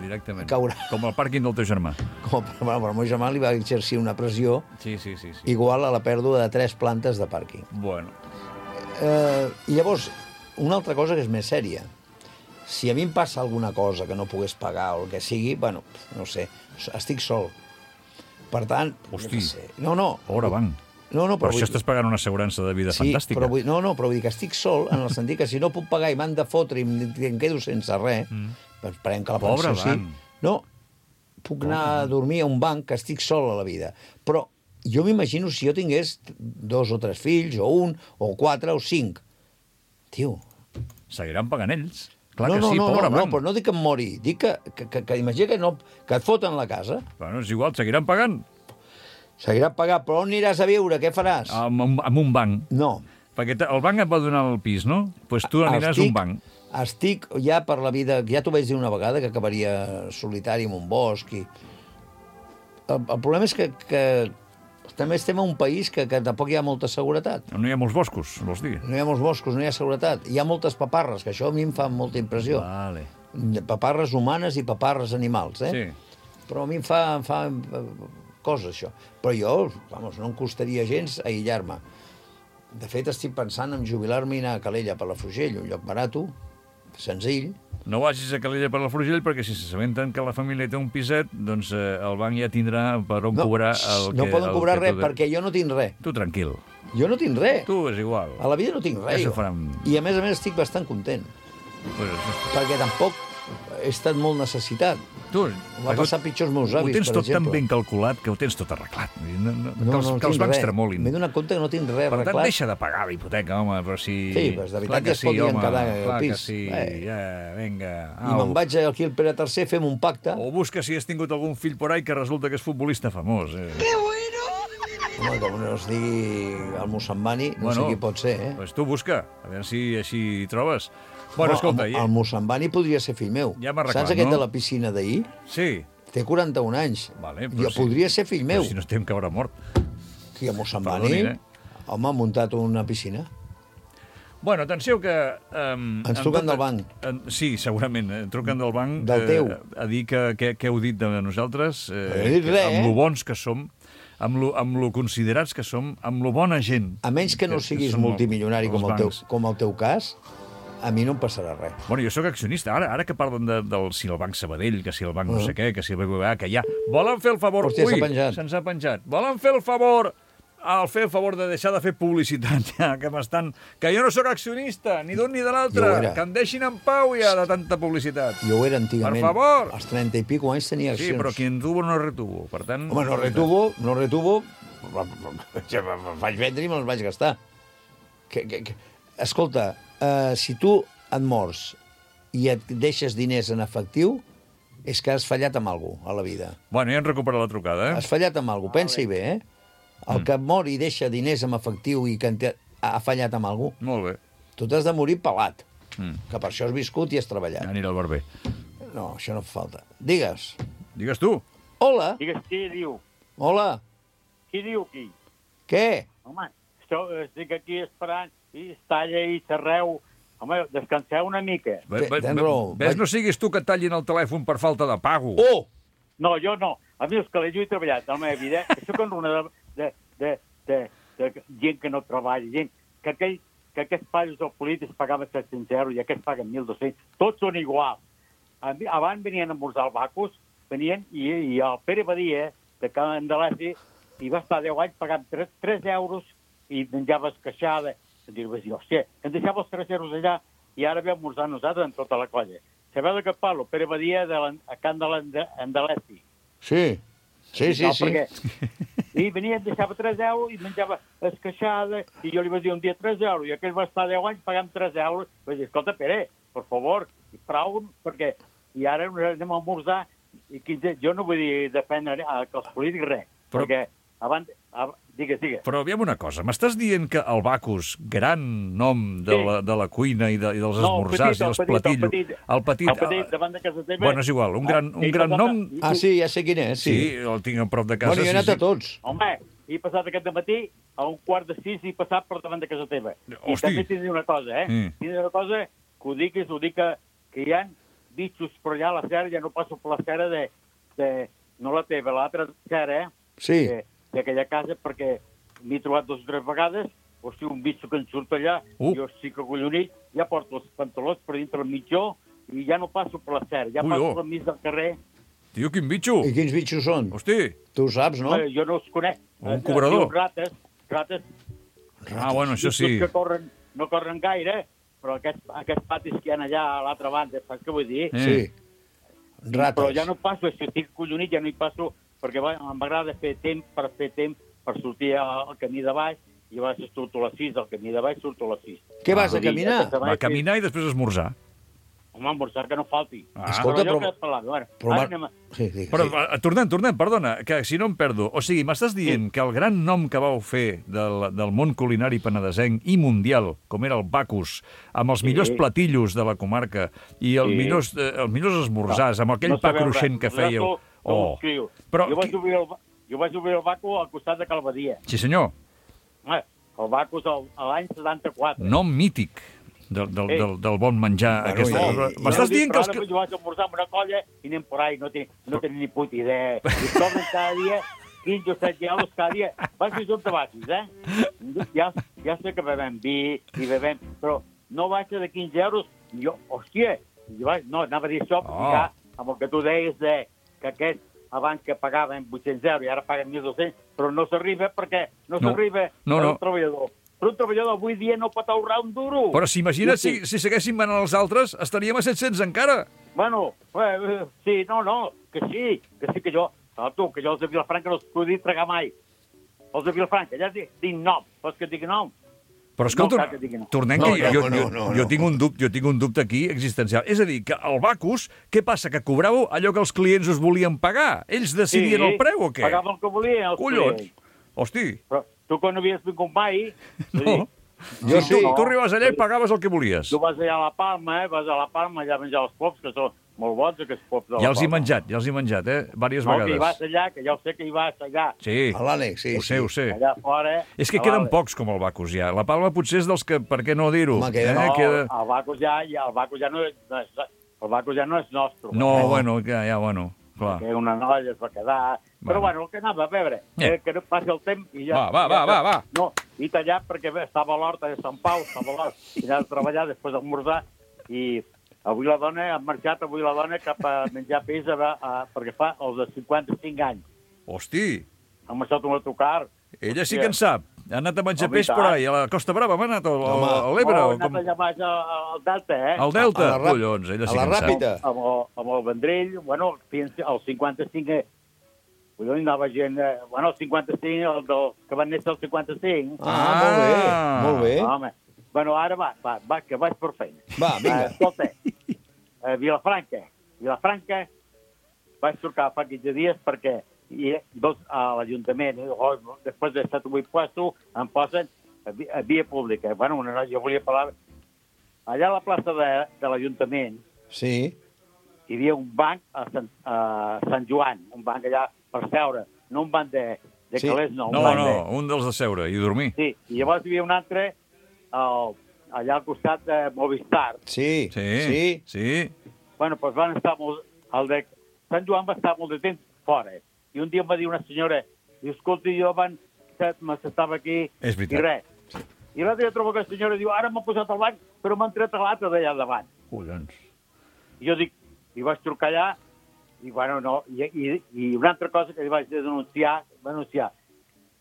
Directament. Caurà. Com el pàrquing del teu germà. Com, bueno, però el meu germà li va exercir una pressió Sí, sí, sí. sí. igual a la pèrdua de tres plantes de pàrquing. Bueno, Eh, I llavors, una altra cosa que és més sèria. Si a mi em passa alguna cosa que no pogués pagar o el que sigui, bueno, no sé, estic sol. Per tant... Hosti. no sé. No, no. pobre banc. No, no, Per però això vull- estàs pagant una assegurança de vida Sí, fantàstica. però vull, no, no, però vull dir que estic sol en el sentit que si no puc pagar i m'han de fotre i em, i em quedo sense res, mm. doncs esperem que la Pobre pensió sí. banc. No, puc anar a dormir a un banc que estic sol a la vida. Però jo m'imagino si jo tingués dos o tres fills, o un, o quatre, o cinc. Tio... Seguiran pagant ells. Clar no, que no, sí, no, pobre no, no, banc. però no dic que em mori, dic que, que, que, que imagina que, no, que et foten la casa, Bueno, és igual, seguiran pagant. seguirà pagant, però on aniràs a viure, què faràs? Amb, amb, amb un banc. No. Perquè te- el banc et va donar el pis, no? Doncs pues tu aniràs a un banc. Estic ja per la vida... Ja t'ho vaig dir una vegada, que acabaria solitari en un bosc. I... El, el problema és que, que també estem en un país que, que tampoc hi ha molta seguretat. No hi ha molts boscos, vols dir? No hi ha molts boscos, no hi ha seguretat. Hi ha moltes paparres, que això a mi em fa molta impressió. Vale. Paparres humanes i paparres animals, eh? Sí. Però a mi em fa, em fa eh, cosa, això. Però jo, vamos, no em costaria gens aïllar-me. De fet, estic pensant en jubilar-me i anar a Calella per la Frugell, un lloc barato, senzill, No vagis a Calella per la Frugell, perquè si s'assabenten que la família té un piset, doncs eh, el banc ja tindrà per on No, cobrar el que... no poden el cobrar que res, tu de- perquè jo no tinc res. Tu tranquil. Jo no tinc res. Tu és igual. A la vida no tinc res. Ja s'ho jo. faran. I a més a més estic bastant content, Pues, perquè tampoc he estat molt necessitat. tu, Va passar pitjor els meus ho avis, tens per tot tan exemple. ben calculat que ho tens tot arreglat. No, no, que No, els, no, que els tinc bancs res. tremolin. M'he donat compte que no tinc res Per tant, arreglat. deixa de pagar la hipoteca, home, però si... Sí, pues de veritat Clar que es podien home, quedar al clar pis. que sí, Eh. ja, vinga. I me'n vaig aquí al Pere tercer, fem un pacte. O busca si has tingut algun fill por ahí que resulta que és futbolista famós. Eh? Home, com no es digui el Mossambani, no sé qui pot ser, eh? Pues tu busca, a veure si així trobes. Bueno, escolta... el, el Mossambani podria ser fill meu. Ja m'ha arreglat, Saps aquest no? de la piscina d'ahir? Sí. Té quaranta-un anys. Vale, jo si, podria ser fill meu. Si no estem que haurà mort. Qui, a Mossambani? Perdonin, eh? Home, ha muntat una piscina. Bueno, atenció que... Um, Ens truquen del banc. En, sí, segurament. Eh, truquen del banc Del teu. Eh, a dir que, que, que heu dit de nosaltres. Eh, No he dit res, amb eh? lo bons que som, amb lo, amb lo considerats que som, amb lo bona gent. A menys que no siguis som multimilionari els com el, teu, bancs. com el teu cas, a mi no em passarà res. Bueno, jo sóc accionista. Ara, ara que parlen de, del si el Banc Sabadell, que si el Banc no Uh. sé què, que si el B B V A, que ja... Volen fer el favor... Hòstia, s'ha Ui, penjat. se'ns ha penjat. Volen fer el favor... Al fer el favor de deixar de fer publicitat, ja, que m'estan... Que jo no sóc accionista, ni d'un ni de Jo l'altre. ho era. Que em deixin en pau ja de tanta publicitat. Jo ho era antigament. Per favor. Als trenta i pico anys tenia Sí, accions. però qui en tuvo no retuvo. Per tant... Home, no retuvo, no retuvo, ja me'ls vaig vendre i me'ls vaig gastar. Que, que, que... Escolta, uh, si tu et mors i et deixes diners en efectiu, és que has fallat amb algú a la vida. Bueno, ja hem recuperat la trucada, eh? Has fallat amb algú, pensa-hi bé, eh? El que mor i deixa diners en efectiu i que en té- ha fallat amb algú, Molt bé. tu t'has de morir pelat, Mm. que per això has viscut i has treballat. Anirà al barber. No, això no fa falta. Digues. Digues tu. Hola. Digues qui diu. Hola. Qui diu qui? Què? Home, esteu, estic aquí esperant i es talla i s'arreu. Home, descanseu una mica. Ve, ve, ve, ves, no siguis tu que et tallin el telèfon per falta de pago. Oh! No, jo no. A mi els que jo he treballat a la meva vida, que sóc en una de, de, de, de, de gent que no treballa, gent que, aquell, que aquests pares o polítics pagaven set-cents euros i aquests paguen mil dos-cents. Tots són iguals. A mi, abans venien a esmorzar al Bacus, venien i, i el Pere Badia, de Can Andalesi, i va estar deu anys pagant tres euros i menjava esqueixada. I dius, hòstia, em deixava els tres euros allà i ara ve a esmorzar nosaltres amb tota la colla. Sabeu de què parlo? Pere Badia de la, a Can Andalesi. Sí, sí, sí, no, sí. Perquè... I venia, em deixava tres euros i menjava esqueixada, i jo li vaig dir un dia tres euros, i aquell va estar deu anys pagant tres euros. Vaig dir, escolta, Pere, per favor, prou, perquè... I ara anem a esmorzar, i quinze... jo no vull dir defendre els polítics res, Però... perquè abans... Ab... Digues, digues. Però aviam una cosa, m'estàs dient que el Bacus, gran nom de, Sí. la, de la cuina i, de, i dels No, el esmorzars petit, i el els petit, el platillos... petit. El petit, El petit, davant de casa teva. Bueno, és igual, un gran, Ah, un i gran passat- nom... Ah, sí, ja sé quin és, Sí, sí. el tinc a prop de casa. Bueno, jo he sí, anat sí. a tots. Home, he passat aquest matí a un quart de sis i he passat per davant de casa teva. I Hosti. també t'he de dir una cosa, eh? Mm. T'he de dir una cosa, que ho diguis, ho dic que, que hi ha bitxos per allà a la serra, ja no passo per la serra de, de no la teva, l'altra serra, eh? Sí. De- D'aquella casa, perquè m'he trobat dues o tres vegades, hosti, un bitxo que en surt allà, Uh. jo estic acollonit, ja porto els pantalons per dintre el mitjó i ja no passo per la serra, ja Ui, passo oh. per mig del carrer. Tio, quin bitxo! I quins bitxos són? Hosti! Tu ho saps, no? Eh, jo no els conec. Un Eh, cobrador. diu Rates, rates, Ah, bueno, això sí. que corren, no corren gaire, però aquests, aquests patis que hi ha allà a l'altra banda, saps què vull dir? Eh. Sí. Però Rates. ja no passo, si estic collonit ja no hi passo, perquè va- m'agrada fer temps per fer temps per sortir al camí de baix, i a vegades surto a les sis, al camí de baix surto a les sis. Què vas a Vull dir, caminar? aquesta Va baix, caminar i després esmorzar. Home, esmorzar que no falti. Ah. Escolta, allò però- que et parlava, bueno, Però, ara Mar- anem a... Sí, sí, Però, sí. eh, tornem, tornem, perdona, que si no em perdo. O sigui, m'estàs dient que el gran nom que vau fer del, del món culinari penedesenc i mundial, com era el Bacus, amb els Sí. millors platillos de la comarca i els, Sí. millors, eh, els millors esmorzars, amb aquell no pa sabeu cruixent res. que fèieu. Vosaltres no ho Oh. escriu. Però jo, vaig qui- obrir el, ba- jo vaig obrir el Baco al costat de Calvadia. Sí, senyor. Eh, el Baco és el- a l'any setanta-quatre. Nom mític del, del, Eh. del, del bon menjar. Bueno, Aquesta... i- i- M'estàs Jo dic, dient que però els... ara que- Jo vaig esmorzar amb una colla i anem por ahí, no tinc no ten ni puta idea. I tornen cada dia quinze o setze euros cada dia. Vagis on te vagis, eh? Ja, ja sé que bevem vi i bevem, però no baixa de quinze euros. Jo, hòstia, jo vaig, no, anava a dir això, Oh. oh. ja, amb el que tu deies de que aquest abans que pagaven vuit-cents euros i ara paguen mil dos-cents, però no s'arriba perquè no, No. s'arriba No, a no. un treballador. Però un treballador avui dia no pot ahorrar un duro. Però si imagina't Sí, si, si seguessin manant els altres, estaríem a set-cents encara. Bueno, eh, sí, no, no, que sí, que sí que jo, saps tu, que jo els de Vilafranca no els podia tragar mai. Els de Vilafranca, ja dic, dic nom, vols que et digui nom? Però escolta, No cal que digui no. tornem No, que jo, no, jo, no, jo, no. jo tinc un dubte, jo tinc un dubte aquí existencial. És a dir, que al Bacus, què passa, que cobràveu allò que els clients us volien pagar? Ells decidien el preu o què? Pagaven el que volien els Collons! clients. Hosti, Però tu que no havies vingut mai, no. Jo sí. Tu, tu arribaves allà i pagaves el que volies. tu vas allà a la Palma, eh? vas a la Palma allà a menjar els pops, que són molt bons, aquests pops de la Ja els he Palma. menjat, ja els he menjat, eh? Vàries No, que hi vas vegades. allà, que ja ho sé que hi vas allà. Sí, A l'ànex, sí. ho sé, ho sé. Allà fora... És que a queden l'Ale. pocs com el Bacus ja. La Palma potser és dels que, per què no dir-ho? Home, queda- Eh? No, Queda... el Bacus ja, ja, el Bacus ja no és... No és el Bacus ja no és nostre. No, bueno, ja, ja, bueno, clar. Que una noia es va quedar... Bueno. Però bueno, el que anava a veure, Eh. eh. que no passi el temps i ja... Va, va, ja, va, va, va. No, i tallat perquè bé, estava a l'horta de Sant Pau, estava a l'horta, i anava a treballar després d'esmorzar, i avui la dona, ha marxat avui la dona cap a menjar peix a, a, perquè fa els de cinquanta-cinc anys. Hosti, Ha marxat un autocar. ella sí que en sap. Ha anat a menjar Home, peix i tant. por ahí, a la Costa Brava, m'ha anat, o Home. a l'Ebre, Oh, o ha anat com... allà baix a- al Delta, eh? Al Delta, A la rap- collons, ella sí a la que en sap. ràpida. Amb el, amb el Vendrell, bueno, fins al cinquanta-cinc... Eh, collons, anava gent... Eh, bueno, el cinquanta-cinc, el del, que van néixer el cinquanta-cinc. Ah, molt bé, Ah. molt bé. Home, bueno, ara va, va, va, que vaig per feina. Va, vinga. Uh, escolta, uh, Vilafranca. Vilafranca vaig trucar fa quinze dies perquè i, dos, a l'Ajuntament, eh, oh, després de set o vuit puestos, em posen a, vi- a via pública. Bueno, una, noia, jo volia parlar... Allà a la plaça de, de l'Ajuntament Sí. hi havia un banc a Sant, a Sant Joan, un banc allà per seure, no un banc de, de Sí. calés, no. Un No, banc no, de, un dels de seure i dormir. sí, i llavors hi havia un altre al, allà al costat de Movistar. Sí. Sí, Sí. sí. Bueno, doncs van estar molt... El de Sant Joan va estar molt de temps fora. I un dia em va dir una senyora, diu, escolta, jo abans m'estava aquí És veritat. i res. I l'altre dia trobo que la senyora diu, ara m'ha posat al banc, però m'han tret a l'altre d'allà davant. Collons. I jo dic, i vaig trucar allà, i bueno, no, i, i, i una altra cosa que li vaig denunciar, va denunciar,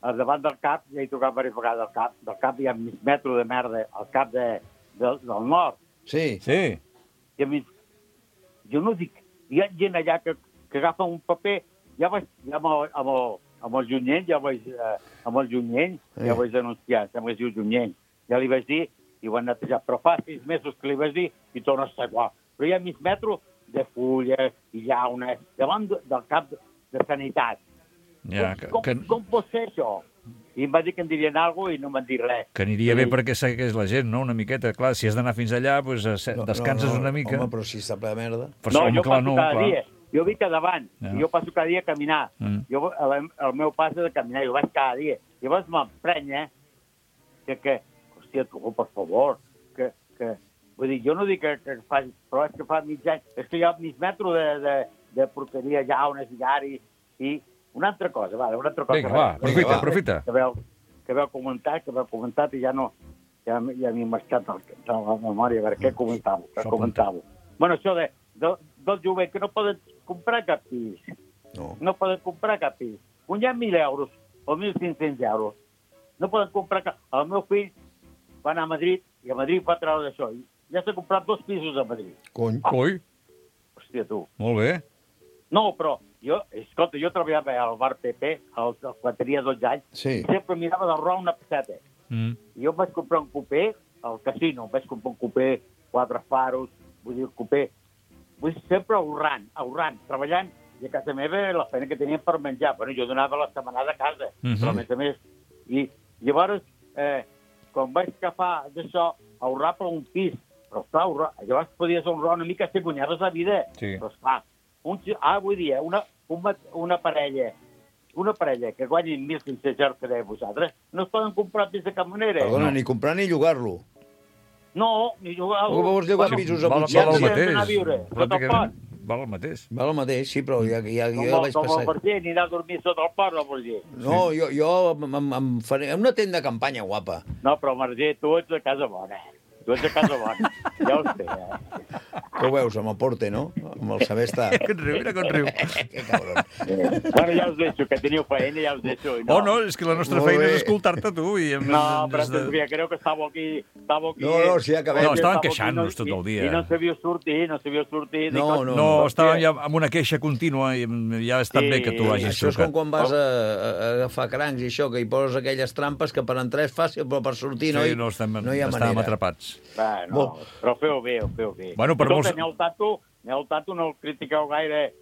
al davant del CAP, ja he trucat diverses vegades al CAP, del CAP hi ha mig metro de merda, al CAP de, de, del nord, Sí. Sí. i a mi, jo no dic, hi ha gent allà que, que agafa un paper, ja vaig, ja amb el, amb el, amb el Junyent, ja vaig, eh, amb el Junyent, ja vaig denunciar, sembla que es diu Junyent, ja li vaig dir, i ho han netejat, però fa sis mesos que li vaig dir, i torna a estar igual. Però hi ha mig metro de fulles i llaunes, davant de- del cap de, de sanitat. Ja, que, com, que, com pot ser això? I em va dir que em dirien alguna cosa i no m'han dit res. que aniria bé perquè segueix la gent, no?, una miqueta. Clar, si has d'anar fins allà, doncs, no, descanses una mica. Home, però si està ple de merda... Però, No, home, jo clar, passo no, cada clar. dia. Jo vinc a davant, Ja. i jo passo cada dia a caminar. Mm. Jo, el, el meu pas és de caminar, jo vaig cada dia. Llavors m'emprenya que, que, hòstia, tu, per favor, que, que... Vull dir, jo no dic que, que faci, però és que fa mig any, és que hi ha mig metro de, de, de porqueria, llaunes, llaris, i una altra cosa, va, una altra cosa. Vinga, va, aprofita, va. aprofita. Que veu, que veu comentar, que veu comentat i ja no... Ja, ja m'he marxat de la memòria, a veure què comentava, què Això comentava. Bueno, això de, de, del jovent, que no poden comprar cap pis. No. No poden comprar cap pis. Guanyant mil euros o mil cinc-cents euros. No poden comprar cap... El meu fill va anar a Madrid i a Madrid va treure d'això. I ja s'ha comprat dos pisos a Madrid. Cony. Coi, Hòstia, tu. molt bé. No, però jo, escolta, jo treballava al bar P P, al, quan tenia dotze anys, Sí. i sempre mirava d'ahorrar una peseta. Mm. I jo em vaig comprar un cupé al casino, em vaig comprar un cupé, quatre faros, vull dir, un cupé. Vull dir, sempre ahorrant, ahorrant, treballant, i a casa meva la feina que teníem per menjar. Bueno, jo donava la setmanada a casa, Mhm. però a més a més. I llavors, eh, quan vaig agafar d'això, ahorrar per un pis, però esclar, ahorrar, llavors podies ahorrar una mica si guanyaves la vida. Sí. Però esclar, un, ah, vull dir, una, una, una parella una parella que guanyin mil cinc-cents euros que dèieu vosaltres, no es poden comprar pis de cap manera. Perdona, no. ni comprar ni llogar-lo. No, ni jugar... Com vols llogar pisos a val, vuit val el cents? Ja hem d'anar a mateix. viure, sota el Pràcticament pont. val el mateix. Val el mateix, sí, però ja, ja, Com, jo el- vaig com el passar... Verger, anirà a dormir sota el pont, el Verger. No, jo, jo em, em, em faré una tenda de campanya guapa. No, però el Verger, tu ets de casa bona. tu ets a casa bona. Ja ho sé, eh? Que ho veus, amb el porte, no? Amb el saber estar. Que et riu, mira com riu. Que cabron. Eh, bueno, ja us deixo, que teniu feina, ja us deixo. No. Oh, no, és que la nostra Molt feina bé. és escoltar-te tu. I hem, No, però des de... de... creo que estava aquí... Estava aquí No, no, sí, acabem. No, estaven Estava aquí, queixant-nos tot el dia. I, i no sabia sortir, no sabia sortir. No, Dic, no. No, estàvem ja amb una queixa contínua i ja ha estat Sí, bé que tu hagis Això és trucat. com quan vas a, a, a agafar crancs i això, que hi poses aquelles trampes que per entrar és fàcil, però per sortir no, Sí, hi, no, estem, no hi ha estàvem manera. atrapats. Va, no, Bo. però feu bé, ho feu bé. Bueno, per Escolta, molts- Nel Tato, Nel Tato no el critiqueu gaire.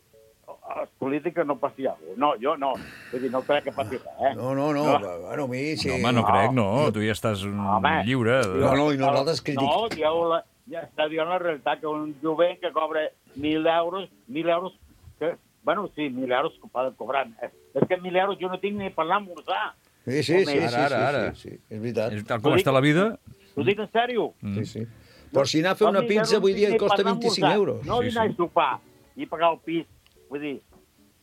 Els polítics no passi alguna cosa. No, jo no. Vull dir, no crec que passi res, eh? No, no, no, No. bueno, a mi sí. No, home, no crec, no. Tu ja estàs mm, Home. lliure. De... No, no, i nosaltres critic... No, dieu la, ja està dient la realitat, que un jovent que cobra mil euros, mil euros, que, bueno, sí, mil euros que poden cobrar. Eh, És que mil euros jo no tinc ni per anar a esmorzar. Sí, sí, sí, Home, sí, ara, sí, ara. sí, sí, és veritat. És tal com està la vida... T'ho dic en sèrio. Mm. Sí, sí. Però si anar a fer una mil euros pizza avui no dia tinc ni costa per anar a vint-i-cinc esmorzar. euros. No Sí, dinar sí. a sopar i pagar el pis. Vull dir,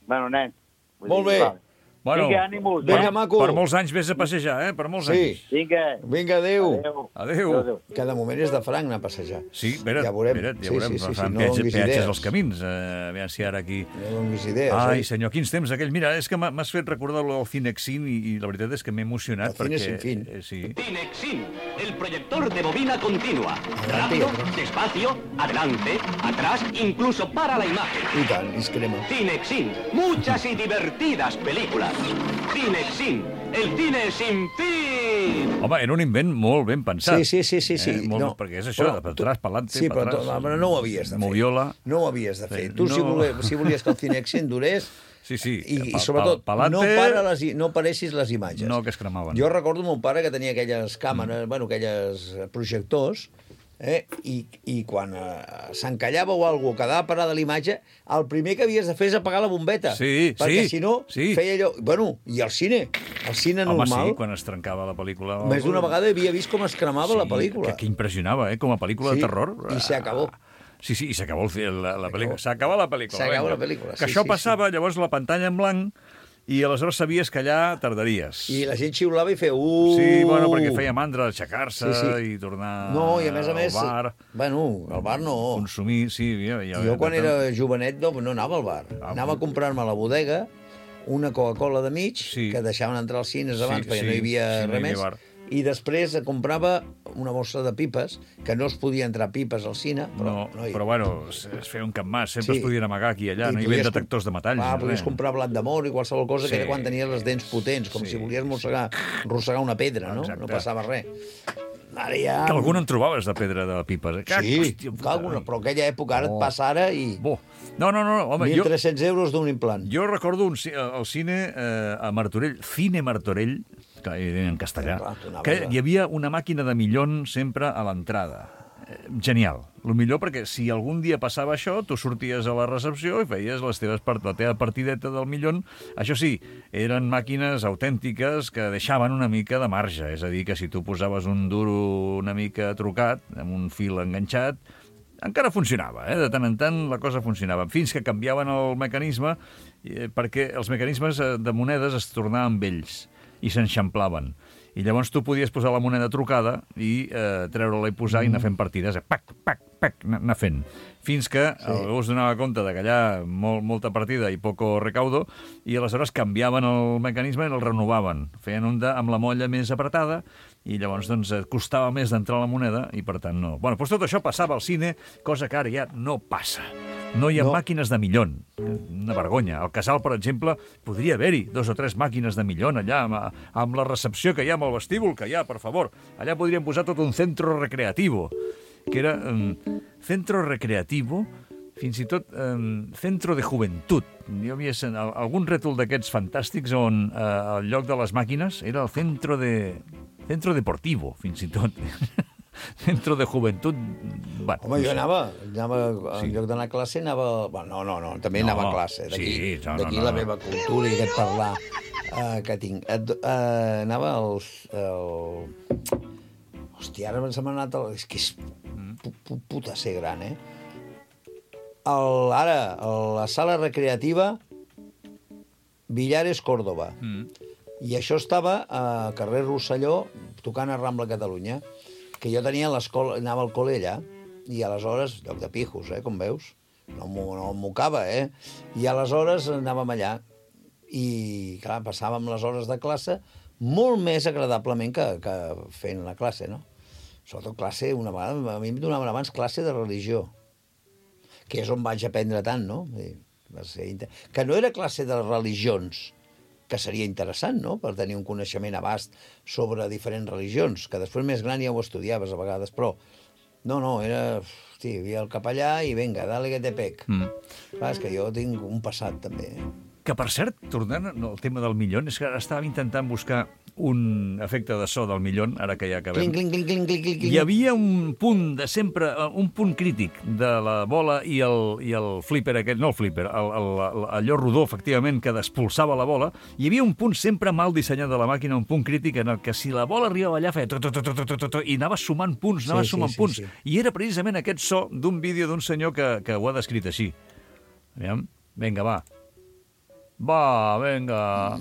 bueno, nen. Vull Molt dir, bé. vale. Bueno, Vinga, ànimos. Vinga, eh? maco. per molts anys vés a passejar, eh? Per molts Sí. anys. Vinga. Vinga, adéu. Adéu. Adéu. Adéu. Que de moment és de franc anar a passejar. Sí, espera't, Ja veurem. espera't, ja Sí, veurem. sí, sí, sí, Fan no peatge- donis peatges idees. als camins. Eh, aviam si ara aquí... No donis idees, Ai, eh? senyor, quins temps aquell. Mira, és que m'ha- m'has fet recordar el Cinexin i, i la veritat és que m'he emocionat El Cine perquè... sin fin. Eh, sí. Cinexin, el proyector de bobina continua. Adelante y Rápido, atrás. despacio, adelante, atrás, incluso para la imagen. I tant, i es crema. Cinexin, muchas y divertidas películas. Cinexin, el cine sin fin. Home, era un invent molt ben pensat. Sí, sí, sí, sí, sí. Eh, molt, No, perquè és això, però de per tu- atrás, pa'lante, Sí, per però, atrás. tu- però no ho havies de fer. Moviola. No ho havies de fer. Sí, Tu, si, no. volies, si volies que el Cinexin durés, Sí, sí. i, pa- i sobretot, pa- pa'lante, no, para les, i- no paressis les imatges. No, que es cremaven. Jo recordo mon pare que tenia aquelles càmeres, mm. bueno, aquelles projectors, eh? I, i quan eh, s'encallava o alguna cosa, quedava parada l'imatge, el primer que havies de fer és apagar la bombeta. Sí, perquè sí, si no, sí. feia allò... Bueno, i el cine, el cine Home, normal, sí, quan es trencava la pel·lícula... més d'una vegada havia vist com es cremava la pel·lícula. Que, que impressionava, eh? Com a pel·lícula Sí, de terror. i se acabó. Sí, sí, i s'acabó el fi- la, la pel·lícula. S'acabó la pel·lícula. S'acabó vinga. la pel·lícula, Que sí, això sí, passava, llavors la pantalla en blanc, i aleshores sabies que allà tardaries. I la gent xiulava i feia... Uh! Sí, bueno, perquè feia mandra aixecar-se Sí, sí. i tornar No, i a més a més... al bar, Bueno, al bar no. consumir... Sí, ja, ja, Jo quan de tant- era jovenet no, no anava al bar. Ah, Anava a comprar-me a la bodega una Coca-Cola de mig, Sí. que deixaven entrar als cines abans Sí, perquè sí, no hi havia sí, no hi res havia més. bar. I després comprava una bossa de pipes, que no es podia entrar pipes al cine, però No, no hi però bueno, es, es feia un cap mas, sempre Sí. es podien amagar aquí i allà, I no hi podies havia com- detectors de metalls. Ah, ni podies res. comprar blat d'amor i qualsevol cosa, Sí. que era quan tenies les dents potents, com Sí. si volies mossegar, arrossegar una pedra, no? Exacte. No passava res. Ara ja... Que algun en trobaves de pedra de pipes. Eh? Sí, hòstia, puta, alguna, però aquella època ara Oh. et passa ara i... Bo. No, no, no, home, mil jo, tres-cents euros d'un implant. jo recordo un, ci- el cine eh, a Martorell, Cine Martorell, que era en castellà, Clar, tu anaves que a- hi havia una màquina de millón sempre a l'entrada. Eh, Genial. Lo millor perquè si algun dia passava això, tu sorties a la recepció i feies les teves part, la teva partideta del millón. Això sí, eren màquines autèntiques que deixaven una mica de marge. És a dir, que si tu posaves un duro una mica trucat, amb un fil enganxat, encara funcionava, eh? De tant en tant la cosa funcionava, fins que canviaven el mecanisme, eh, perquè els mecanismes eh, de monedes es tornaven vells i s'enxamplaven. I llavors tu podies posar la moneda trucada i eh, treure-la i posar i anar fent partides, eh? Pac, pac, pac, anar anar fent. Fins que sí. algú es donava compte de que allà molt, molta partida i poco recaudo, i aleshores canviaven el mecanisme i el renovaven. Feien un de, amb la molla més apretada, i llavors doncs, et costava més d'entrar la moneda, i per tant no. Bueno, doncs tot això passava al cine, cosa que ara ja no passa. No hi ha No. no. màquines de millón. Una vergonya. Al Casal, per exemple, podria haver-hi dos o tres màquines de millón allà, amb, amb la recepció que hi ha, amb el vestíbul que hi ha, per favor. Allà podríem posar tot un centro recreativo, que era um, centro recreativo, fins i tot um, centro de juventud. Jo havia sent algun rètol d'aquests fantàstics on uh, el lloc de les màquines era el centro de... centro deportivo, fins i tot. Centro de juventud... Bueno, Home, jo anava, anava Sí. en lloc d'anar a classe, anava... Bueno, no, no, no, també No, anava a classe. D'aquí sí, no, no, d'aquí no, la no. meva cultura i aquest parlar uh, que tinc. Et, uh, anava als... El... Hòstia, ara se m'ha anat... El... És que és pu pu puta ser gran, eh? El, ara, a la sala recreativa Villares, Córdoba. Mm. I això estava a carrer Rosselló, tocant a Rambla Catalunya, que jo tenia l'escola, anava al col·le allà, i aleshores, lloc de pijos, eh, com veus, no m'ho no mocava, eh? I aleshores anàvem allà, i clar, passàvem les hores de classe molt més agradablement que, que fent la classe, no? Sobretot classe, una vegada, a mi em donaven abans classe de religió, que és on vaig aprendre tant, no? Va ser inter... Que no era classe de religions, que seria interessant, no?, per tenir un coneixement abast sobre diferents religions, que després més gran ja ho estudiaves a vegades, però no, no, era... Hosti, hi havia el capellà i vinga, dale que te pec. Mm. Clar, és que jo tinc un passat, també. Que, per cert, tornant al tema del millón, és que ara estàvem intentant buscar un efecte de so del millón, ara que ja acabem. Cling, cling, cling, cling, cling, cling. Hi havia un punt de sempre, un punt crític de la bola i el, i el flipper aquest, no el flipper, el, el, allò rodó, efectivament, que despulsava la bola. Hi havia un punt sempre mal dissenyat de la màquina, un punt crític en el que si la bola arribava allà feia tot, tot, tot, tot, tot, tot, i anava sumant punts, anava Sí, sí, sumant sí, punts. sí. I era precisament aquest so d'un vídeo d'un senyor que, que ho ha descrit així. Aviam, vinga, va. Va, vinga.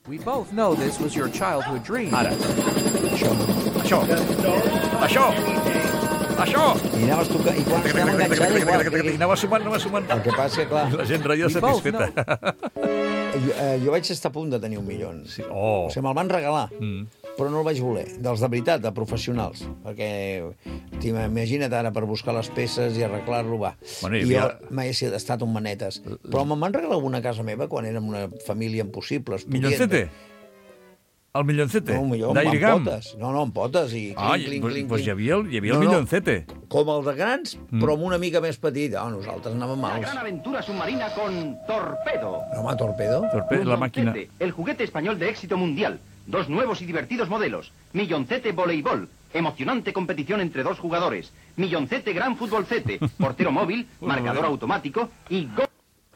We both know this was your childhood dream. Ara. Això. Això. Això. I anaves tocant, i quan estàvem enganxats igual. I anava sumant, anava sumant. El que passa, clar... La gent reia satisfeta. Jo, eh, jo vaig estar a punt de tenir un milió. Sí. Oh. O sigui, me'l van regalar, Mm. però no el vaig voler. Dels de veritat, de professionals. Perquè, imagina't ara, per buscar les peces i arreglar-lo, va. Bueno, hi I havia- jo mai he estat un manetes. Però me'n van regalar una casa meva quan érem una família impossibles. Milloncete? El milloncete? No, un millor, amb, D'aire amb gam? potes. No, no, amb potes. I clink, Ah, clink, doncs clink, pues hi clink. havia el, hi havia el No, no. milloncete. Com el de grans, Mm. però amb una mica més petit. Ah, nosaltres anàvem La mals. gran aventura submarina con Torpedo. No, home, torpedo. Torpe la màquina. Milloncete, el juguete español de éxito mundial. Dos nuevos y divertidos modelos. Milloncete Voleibol. Emocionante competición entre dos jugadores. Milloncete Gran Futbolcete. Portero móvil, marcador automático y gol.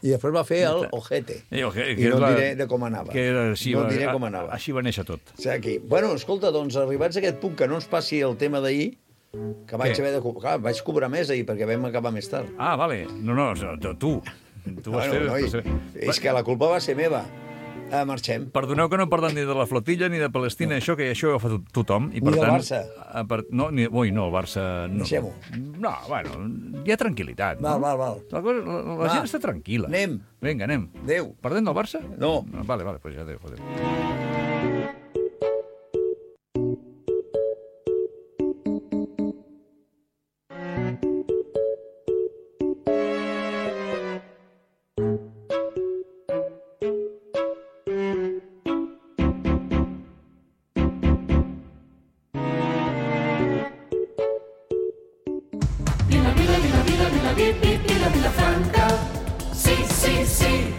I després va fer el ojete. I, okay, I no et diré de com anava. Que era així, no va- et diré com anava. Així va néixer tot. O sigui, aquí. Bueno, escolta, doncs, arribats a aquest punt, que no ens passi el tema d'ahir, que vaig Què? haver de... co- Clar, vaig cobrar més ahir, perquè vam acabar més tard. Ah, vale. No, no, tu. Tu vas Bueno, noi, fer... és que la culpa va ser meva. Eh, marxem. Perdoneu que no parlem ni de la flotilla ni de Palestina, això que això ho fa to- tothom. I, Ni per del tant, Barça. A part, no, ni, ui, no, el Barça... No. Deixem-ho. No, bueno, hi ha tranquil·litat. Val, no? val, val. La, cosa, la, la Va. gent està tranquil·la. Anem. Vinga, anem. Adéu. Parlem del Barça? No. no vale, vale, pues ja adéu, adéu. Vila, Vila, Vila, Vila, Vila, Vila, Vila Franca. Sí, sí, sí.